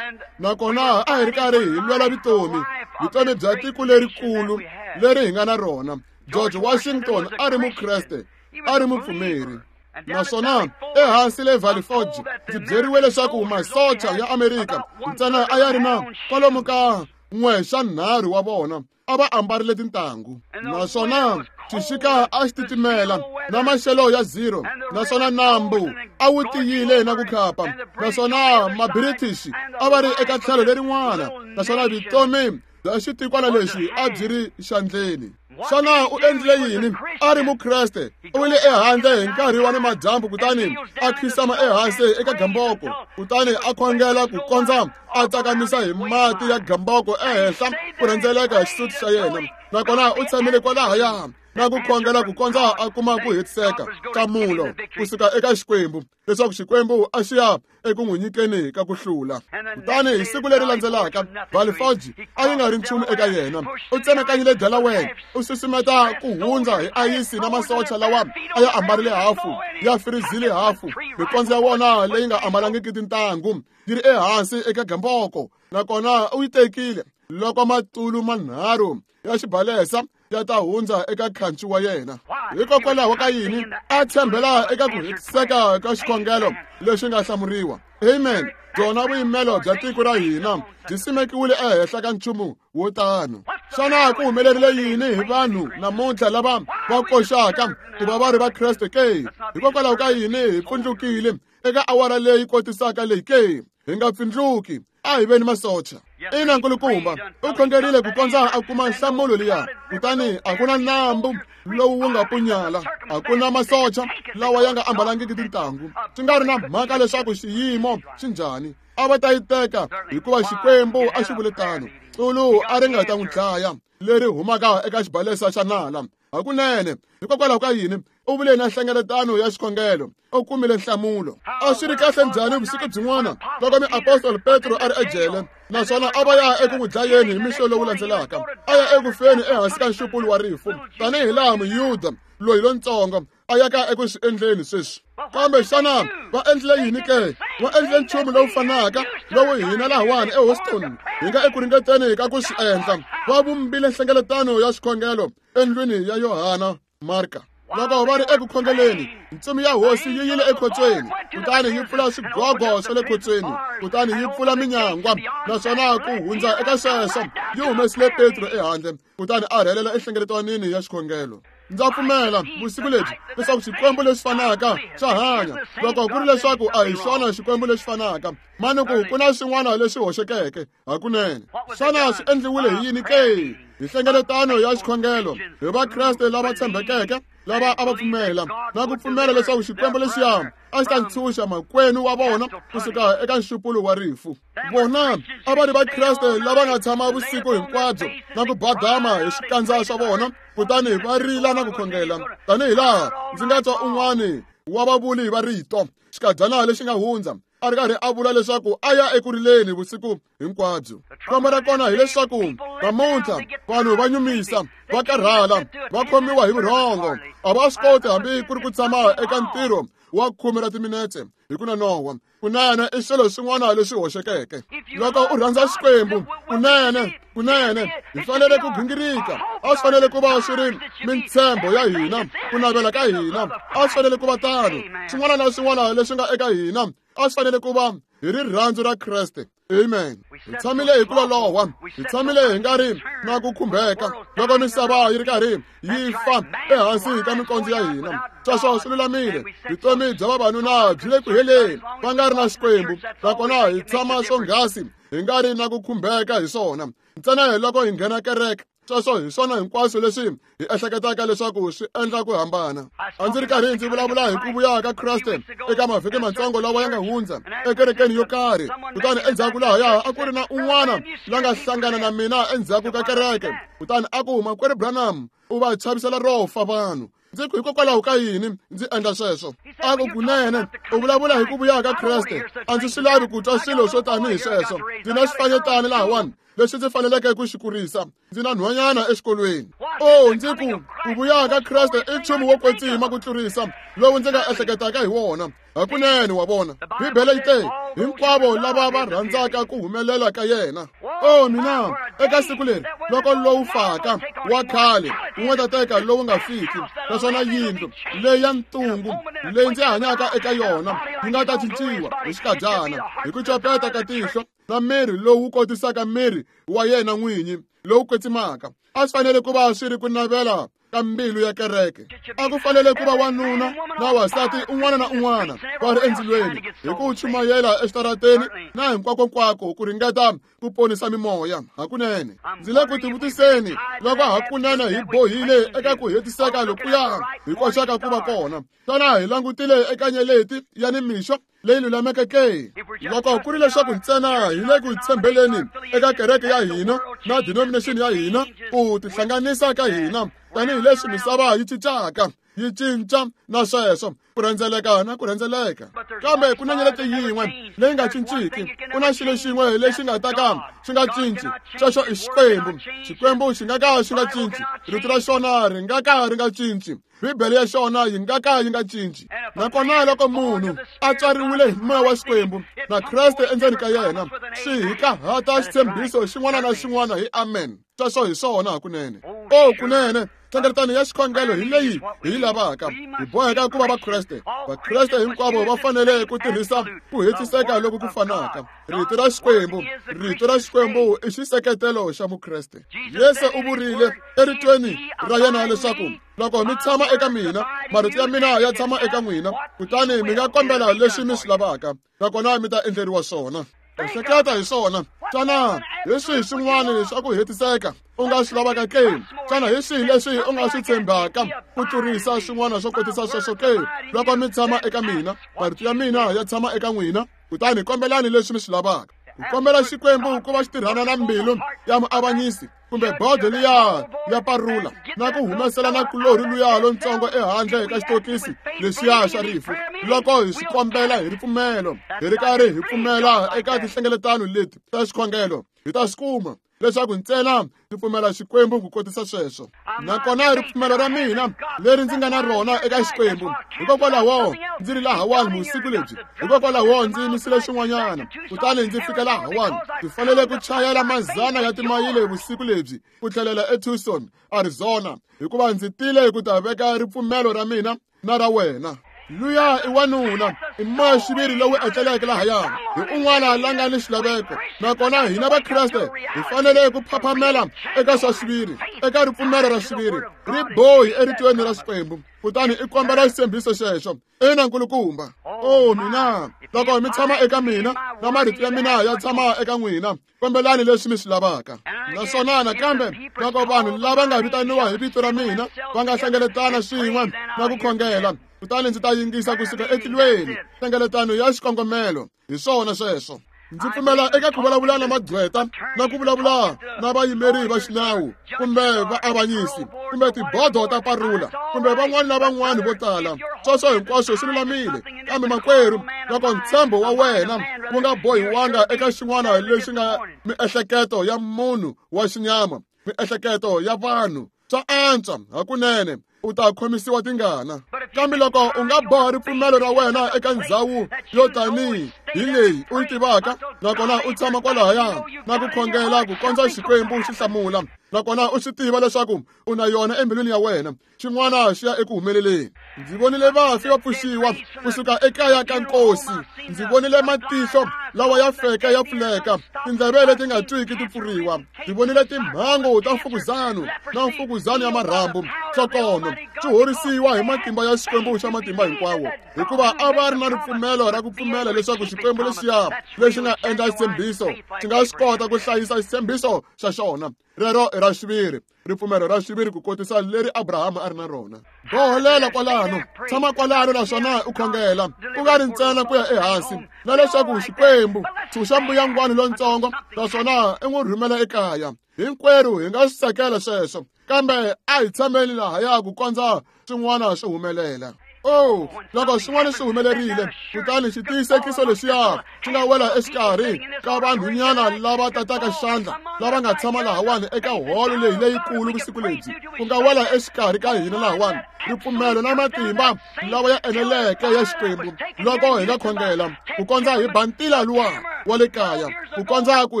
nakona a hi ri karhi hi lwela vutomi, vutomi bya tiko lerikulu leri hi nga na rona. George Washington a ri Mukreste, a ri mupfumeri. Naswona ehansi le Valley Forge, ndzi byeriwe leswaku masocha ya Amerika ntsena a ya ri na kwalomu ka 1/3 wa vona a va ambarile tintangu, naswona Xixika a xi titimela na maxelo ya 0, naswona nambu a wu tiyile na ku khapa, naswona mabritish a va ri eka tlhelo lerin'wana, naswona vutomi bya xitikwana lexi a byi ri xandleni. Xana u endlile yini? A ri mukreste, u wile ehandle hi nkarhi wa nimadyambu, kutani a khisama ehansi eka gamboko, kutani a khongela ku kondza a tsakamisa hi mati ya gamboko ehenhla ku rhendzeleka hi xisuti xa yena, nakona u tshamile kwalahaya na ku khongela ku kondza a kuma ku hetiseka nhlamulo kusuka eka Xikwembu, leswaku Xikwembu a xi ya eku n'wi nyikeni ka ku hlula. Kutani hi siku leri landzelaka, Valley Forge a yi nga ri nchumu eka yena. U tsemakanyile Delaware, u susumeta ku hundza hi ayisi na masocha lawa a ya ambarile hafu ya firizile hafu, mikondzo ya wona leyi nga ambalangiki tintangu yi ri ehansi eka gamboko, nakona u yi tekile loko matulu manharhu ya xibalesa ya ta hundza eka khanci wa yena. Hikokwalaho ka yini? A tshembela eka ku hetiseka ka xikhongelo lexi nga hlamuriwa. Amen. Byona vuyimelo bya tiko ra hina byi simekiwile ehenhla ka nchumu wo tano. Xana ku humelerile yini hi vanhu namuntlha lava va koxaka ku va va ri va Kreste ke? Hikokwalaho ka yini hi pfundlukile eka awara leyi kotisaka leyi ke? Hi nga pfindluki, a hi veni masocha. Ina, nkulukumba, u khongerile ku kondza a kuma nhlamulo liya, kutani a ku na nambu lowu wu nga punyala, a ku na masocha lawa ya nga ambalangiki tintangu. Swi nga ri na mhaka leswaku xiyimo xi njhani, a va ta yi teka hikuva Xikwembu a xi vule tano. Xulu a ri nga ta n'wi dlaya leri humaka eka xibalesa xa nala. Hakunene, hikokwalaho ka yini u vule na nhlengeletano ya xikhongelo, u kumile nhlamulo. A swi ri kahle njhani vusiku byin'wana loko miapostoli Petro a ri ejele, naswona a va ya eku n'wi dlayeni hi mixo lowu landzelaka, a ya eku feni ehansi ka nxupulo wa rifu, tanihi laha Muyuda loyi lontsongo a yaka eku swi endleni sweswi. Kambe xana va endlile yini ke? Va endlile nchumu lowu fanaka lowu hina lahawani eHouston hi nga eku ringeteni ka ku swi endla. Va vumbile nhlengeletano ya xikhongelo endlwini ya Yohana Marka. Loko va ri eku khongeleni, ntsumi ya hosi yi yile ekhotsweni, kutani yi pfula swigogo swa le khotsweni, kutani yi pfula minyangwa, naswona ku hundza eka sweswo yi humesile Petro ehandle, kutani a rhelela enhlengeletanini ya xikhongelo. Ndza pfumela vusiku lebyi leswaku Xikwembu lexi fanaka xa hanya. Loko ku ri leswaku a hi xona Xikwembu lexi fanaka, manuku ku na swin'wana leswi hoxekeke hakunene. Xana swi endliwile hi yini ke? Hi nhlengeletano ya xikhongelo, hi Vakreste lava tshembekeke lava a va pfumela na ku pfumela leswaku Xikwembu lexiya a xi ta ntshunxa makwenu wa vona kusuka eka nxupulo wa rifu. Vona a va ri Vakreste lava nga tshama vusiku hinkwabyo na ku badama hi swikandza swa vona, kutani va rila na ku khongela, tanihi laha ndzi nga twa un'wani wa vavuli va rito xikadyana lexi nga hundza a ri karhi a vula leswaku a ya eku rileni vusiku hinkwabyo. Khombo ra kona hileswaku namuntlha vanhu va nyumisa, va karhala, va khomiwa hi vurhongo, a va swi koti hambi ku ri ku tshama eka ntirho wa 10 ra timinetse hi ku nonohwa. Kunene i swilo swin'wana leswi hoxekeke. Loko u rhandza Xikwembu, kunene, kunene hi fanele ku gingirika. A swi fanele ku va swi ri mintshembo ya hina, ku navela ka hina. A swi fanele ku va tano. Swin'wana na swin'wana leswi nga eka hina a swi fanele ku va hi rirhandzu ra Kreste. Amen. Hi tshamile hi ku loloha, hi tshamile hi nga ri na ku khumbeka loko misava yi ri karhi yi fa ehansi ka mikondzo ya hina. Sweswo swi lulamile. Vutomi bya vavanuna byi le ku heleni, va nga ri na Xikwembu, nakona hi tshama swonghasi hi nga ri na ku khumbeka hi swona. Ntsena hi loko hi nghena kereke, sweswo hi swona hinkwaswo leswi hi ehleketaka leswaku swi endla ku hambana. A ndzi ri karhi ndzi vulavula hi ku vuya ka Kreste eka mavhiki matsongo lawa ya nga hundza ekerekeni yo karhi, kutani endzhaku lahaya a ku ri na un'wana la nga hlangana na mina endzhaku ka kereke, kutani a ku, Makwerhu Branham, u va chavisela ro fa vanhu. Ndzi ku, hikokwalaho ka yini ndzi endla sweswo? A ku, kunene u vulavula hi ku vuya ka Kreste, a ndzi swi lavi ku twa swilo swo tanihi sweswo. Ndzi na xifanyetana lahawani lexi ndzi faneleke ku xi kurisa, ndzi na nhwanyana exikolweni. O, ndzi ku, ku vuya ka Kreste i nchumu wo kwetsima ku tlurisa lowu ndzi nga ehleketaka hi wona. Hakunene, wa vona, Bibele yi te, hinkwavo lava va rhandzaka ku humelela ka yena. O, mina, eka siku leri loko lowu faka wa khale wu nga ta teka lowu nga fiki, naswona yindlu leyi ya ntungu leyi ndzi hanyaka eka yona yi nga ta cinciwa hi xikadyana, hi ku copeta ka tihlo, na miri lowu kotisaka miri wa yena n'winyi lowu kwetsimaka. A swi fanele ku va swi ri ku navela ka mbilu ya kereke. A ku fanele ku va wanuna na wansati un'wana na un'wana va ri endzilweni hi ku chumayela exitarateni na hinkwakonkwako ku ringeta ku ponisa mimoya. Hakunene ndzi le ku tivutiseni loko hakunene hi bohile eka ku hetiseka lokuya hi koxaka ku va kona. Xana hi langutile eka nyeleti ya nimixo leyi lulameke ke? Loko ku ri leswaku ntsena hi le ku tshembeleni eka kereke ya hina na denomination ya hina, ku tihlanganisa ka hina tanihileswi misava yi cincaka, yi cinca na sweswo, ku rhendzeleka na ku rhendzeleka. Kambe ku na nyeleti yin'we leyi nga cinciki, ku na xilo xin'we lexi nga ta ka xi nga cinci, xexo i Xikwembu. Xikwembu xi nga ka xi nga cinci, rito ra xona ri nga ka ri nga cinci, Bibele ya xona yi nga ka yi nga cinci. Nakona loko munhu a tswariwile hi moya wa Xikwembu na Kreste endzeni ka yena, swi hi kahata xitshembiso xin'wana na xin'wana hi amen. Sweswo hi swona hakunene. O kunene, nhlengeletano ya xikhongelo hi leyi hi yi lavaka. Hi boheka ku va Vakreste. Vakreste hinkwavo va fanele ku tirhisa ku hetiseka loku ku fanaka. Rito ra Xikwembu, rito ra Xikwembu i xiseketelo xa Mukreste. Yesu u vurile eritweni ra yena leswaku loko mi tshama eka mina, marito ya mina ya tshama eka n'wina, kutani mi nga kombela leswi mi swi lavaka, nakona mi ta endleriwa swona. Ehleketa hi swona. Xana hi swihi swin'wana swa ku hetiseka u nga swi lavaka ke? Xana hi swihi leswi u nga swi tshembaka ku tlurisa swin'wana swo kotisa sweswo ke? Loko mi tshama eka mina, marito ya mina ya tshama eka n'wina, kutani kombelani leswi mi swi lavaka. Ku kombela Xikwembu ku va xi tirhana na mbilu ya muavanyisi kumbe bodo liya ya parula na ku humesela na kulorhi luya lontsongo ehandle ka xitokisi lexiya xa rifu. Loko hi swi kombela hi ripfumelo, hi ri karhi hi pfumela eka tinhlengeletano leti ta xikhongelo, hi ta swi kuma leswaku ntsena ndzi pfumela Xikwembu ku kotisa sweswo. Nakona ripfumelo ra mina leri ndzi nga na rona eka Xikwembu, hikokwalaho ndzi ri lahawani vusiku lebyi, hikokwalaho ndzi yimisile xin'wanyana kutani ndzi fika lahawani. Ndzi fanele ku chayela mazana ya timayile vusiku lebyi ku tlhelela eTucson, Arizona, hikuva ndzi tile ku ta veka ripfumelo ra mina na ra wena. Luya i wanuna, i moya xiviri lowu etleleke lahaya, hi un'wana la nga ni xilaveko. Nakona hina Vakreste hi fanele ku phaphamela eka swa xiviri, eka ripfumelo ra xiviri, ri bohi eritweni ra Xikwembu, kutani i kombela xitshembiso xexo. Ina nkulukumba. O mina, loko mi tshama eka mina na marito ya mina ya tshama eka n'wina, kombelani leswi mi swi lavaka. Naswona nakambe loko vanhu lava nga vitaniwa hi vito ra mina va nga hlengeletana swin'we na ku khongela, kutani ndzi ta yingisa kusuka etilweni. Nhlengeletano ya xikongomelo, hi swona sweswo. Ndzi pfumela eka ku vulavula na magqweta na ku vulavula na vayimeri va xinawu kumbe vaavanyisi kumbe tibodo ta parula kumbe van'wana na van'wana vo tala. Sweswo hinkwaswo swi lulamile, kambe makwerhu, loko ntshembo wa wena wu nga bohiwanga eka xin'wana lexi nga miehleketo ya munhu wa xinyama, miehleketo ya vanhu, swa antswa hakunene u ta khomisiwa tingana. Kambe loko u nga boha ripfumelo ra wena eka ndzhawu yo tanihi hi leyi u yi tivaka, nakona u tshama kwalahaya na ku khongela ku kondza Xikwembu xi hlamula, nakona u swi tiva leswaku u na yona embilwini ya wena, xin'wana xi ya eku humeleleni. Ndzi vonile vafi va pfuxiwa kusuka ekaya ka nkosi. Ndzi vonile matihlo lawa ya feke ya pfuleka, tindleve leti nga twiki ti pfuriwa. Ndzi vonile timhangu ta mfukuzano na mfukuzano ya marhambu, nhlokono swi horisiwa hi matimba ya Xikwembu xa matimba hinkwawo, hikuva a va ri na ripfumelo ra ku pfumela leswaku Xikwembu lexiya lexi nga endla xitshembiso xi nga swi kota ku hlayisa xitshembiso xa xona. Rero i ra xiviri, ripfumelo ra xiviri ku kotisa leri Abrahama a ri na rona. Boholela kwalano, tshama kwalano naswona u khongela, ku nga ri ntsena ku ya ehansi, na leswaku Xikwembu tshunxa mbuyangwani lontsongo naswona i n'wi rhumela ekaya. Hinkwerhu hi nga swi tsakela sweswo, kambe a hi tshameni lahaya ku kondza swin'wana swi humelela. Oh, loko swin'wana swi humelerile, kutani xitiyisekiso lexiya xi nga wela exikarhi ka vanhunyana lava tataka xandla lava nga tshama lahawani eka holo leyi leyikulu vusiku lebyi, ku nga wela exikarhi ka hina lahawani ripfumelo na matimba lawa ya eneleke ya Xikwembu loko hi nga khongela ku kondza hi ba ntila luwa wa le kaya, ku kondza ku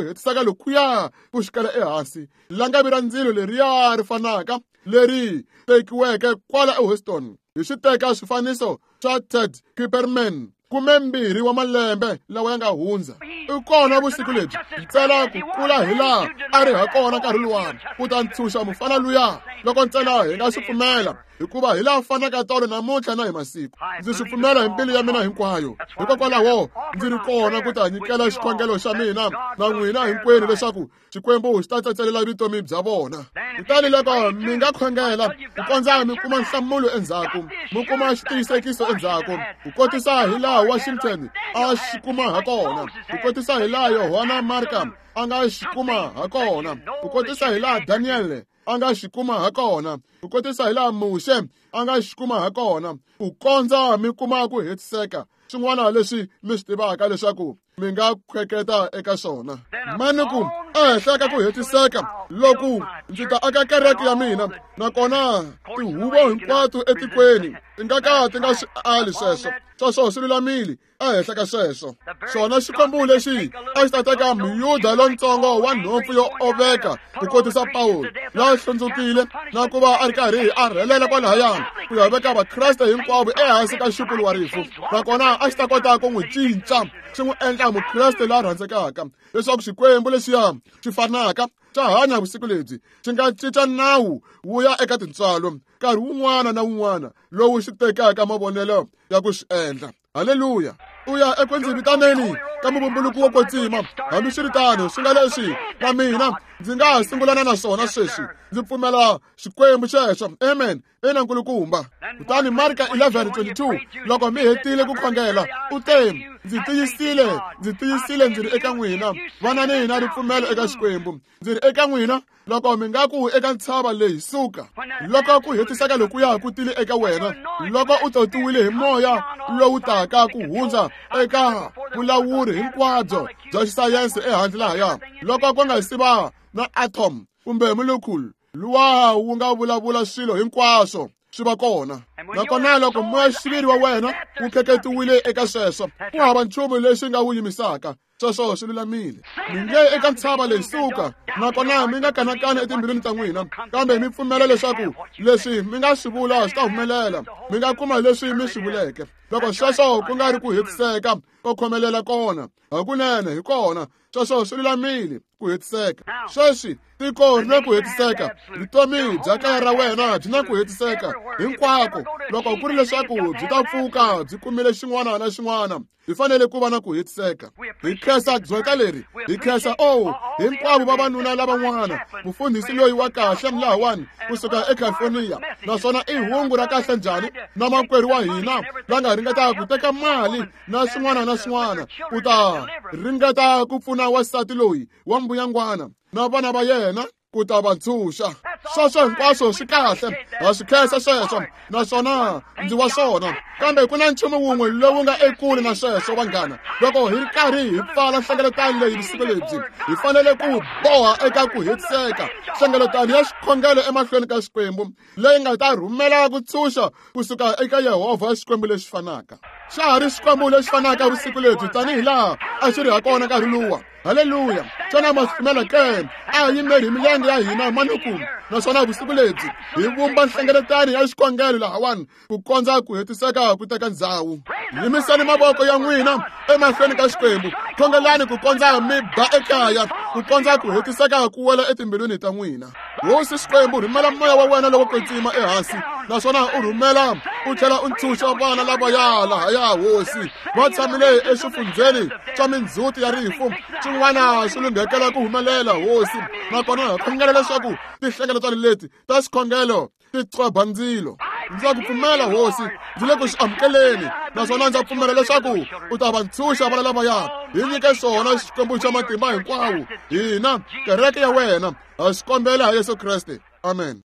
hetiseka lokuya ku xikela ehansi, langavi ra ndzilo leriya ri fanaka leri tekiweke kwala eHouston hi xi teka swifaniso swa Ted Kipperman. 12 wa malembe lawa ya nga hundza. I kona vusiku lebyi ntsena ku kula hi laha a ri ha kona nkarhi luwani ku ta ntshunxa mufana luya loko ntsena hi nga swi pfumela, hikuva hi laha fanaka tolo namuntlha na hi masiku. Ndzi swi pfumela hi mbilu ya mina hinkwayo. Hikokwalaho ndzi ri kona ku ta nyikela xikhongelo xa mina na n'wina hinkwenu leswaku Xikwembu xi ta tsetselela vutomi bya vona. Kutani loko mi nga khongela ku kondza mi kuma nhlamulo endzhaku, mi kuma xitiyisekiso endzhaku, ku kotisa hi laha Washington a xi kuma ha kona, ku kotisa hi laha Yohana Marka a nga xi kuma ha kona, ku kotisa hi laha Daniel a nga xi kuma ha kona, ku kotisa hi laha Muxe a nga xi kuma ha kona, ku kondza mi kuma ku hetiseka swin'wana leswi mi swi tivaka leswaku mi nga khweketa eka swona. Mani ku ehenhla ka ku hetiseka loku ndzi ta aka kereke ya mina, nakona tihuvo hinkwato etikweni ti nga ka ti nga swi ali sweswo. Sweswo swi lulamile. Ehenhla ka sweswo, xona Xikwembu lexi a xi ta teka Muyuda lontsongo wa nhompfu yo oveka ku kotisa Pawulo la hlundzukile na ku va a ri karhi a rhelela kwalahaya ku ya veka Vakreste hinkwavo ehansi ka nxupulo wa rifu, nakona a xi ta kota ku n'wi cinca xi n'wi endla Mukreste la rhandzekaka, leswaku Xikwembu lexiya xi fanaka xa hanya vusiku lebyi xi nga cinca nawu wu ya eka tintswalo nkarhi wun'wana na wun'wana lowu xi tekaka mavonelo ya ku swi endla. Haleluya! U ya eku ndzi vitaneni ka muvumbuluki wo kwetsima. Hambiswiritano, swi nga leswi na mina ndzi nga ha sungulana na swona sweswi. Ndzi pfumela Xikwembu xexo. Amen. Ina nkulukumba. Kutani Marka 11:22, loko mi hetile ku khongela, u te, ndzi tiyisile, ndzi tiyisile ndzi ri eka n'wina, vanani na ripfumelo eka Xikwembu. Ndzi ri eka n'wina, loko mi nga ku eka ntshava leyi suka, loko ku hetiseka lokuya ku tile eka wena, loko u totiwile hi moya lowu taka ku hundza eka vulawuri hinkwabyo bya xisayense ehandle lahaya, loko ku nga si va na atom kumbe molecule luwa wu nga vulavula swilo hinkwaswo swi va kona, nakona loko moya-xiviri wa wena wu kheketiwile eka sweswo, ku hava nchumu lexi nga wu yimisaka. Sweswo swi lulamile. Mi nge eka ntshava leyi suka, nakona mi nga kanakani etimbilwini ta n'wina, kambe mi pfumela leswaku leswi mi nga swi vula swi ta humelela, mi nga kuma leswi mi swi vuleke. Loko sweswo ku nga ri ku hetiseka ko khomelela kona, hakunene hi kona. Sweswo swi lulamile ku hetiseka. Sweswi tiko ri na ku hetiseka, vutomi bya kaya ra wena byi na ku hetiseka hinkwako. Loko ku ri leswaku byi ta pfuka byi kumile xin'wana na xin'wana, hi fanele ku va na ku hetiseka. Hi khensa gqweta leri, hi khensa o hinkwavo vavanuna lavan'wana, mufundhisi loyi wa kahle lahawani kusuka eCalifornia, naswona i hungu ra kahle njhani na makwerhu wa hina la nga ringetaka ku teka mali na swin'wana na swin'wana ku ta ringeta ku pfuna wansati loyi wa mbuyangwana na vana va yena ku ta va ntshunxa. Sweswo hinkwaswo swi kahle, ha swi khensa sweswo, naswona ndzi wa swona. Kambe ku na nchumu wun'we lowu nga ekule na sweswo, vanghana. Loko hi ri karhi hi pfala nhlengeletano leyi vusiku lebyi, hi fanele ku boha eka ku hetiseka nhlengeletano ya xikhongelo emahlweni ka Xikwembu leyi nga ta rhumela ku tshunxa kusuka eka Yehovha Xikwembu lexi fanaka. Xa ha ri Xikwembu lexi fanaka vusiku lebyi tanihi laha a xi ri ha kona nkarhi luwa. Haleluya! Xana ma swi pfumela ke? A hi yimeri hi milenge ya hina manuku, naswona vusiku lebyi hi vumba nhlengeletano ya xikhongelo lahawani ku kondza ku hetiseka ku teka ndzhawu. Yimisani mavoko ya n'wina emahlweni ka Xikwembu, khongelani ku kondza mi ba ekaya, ku kondza ku hetiseka ku wela etimbilwini ta n'wina. Hosi Xikwembu, rhumela moya wa wena lowo kwetsima ehansi, naswona u rhumela u tlhela u ntshunxa vana lavaya lahaya. Hosi, va tshamile exifundzheni xa mindzhuti ya rifu, xin'wana xi lunghekela ku humelela. Hosi, nakona hi khongela leswaku tinhlengeletano leti ta xikhongelo ti qobha ndzilo. Ndza ku pfumela Hosi, ndzi le ku xi amukeleni, naswona ndza pfumela leswaku u ta va ntshunxa vana lavaya. Hi nyike swona, Xikwembu xa matimba hinkwawo, hina kereke ya wena ha swi kombela hi Yesu Kreste. Amen.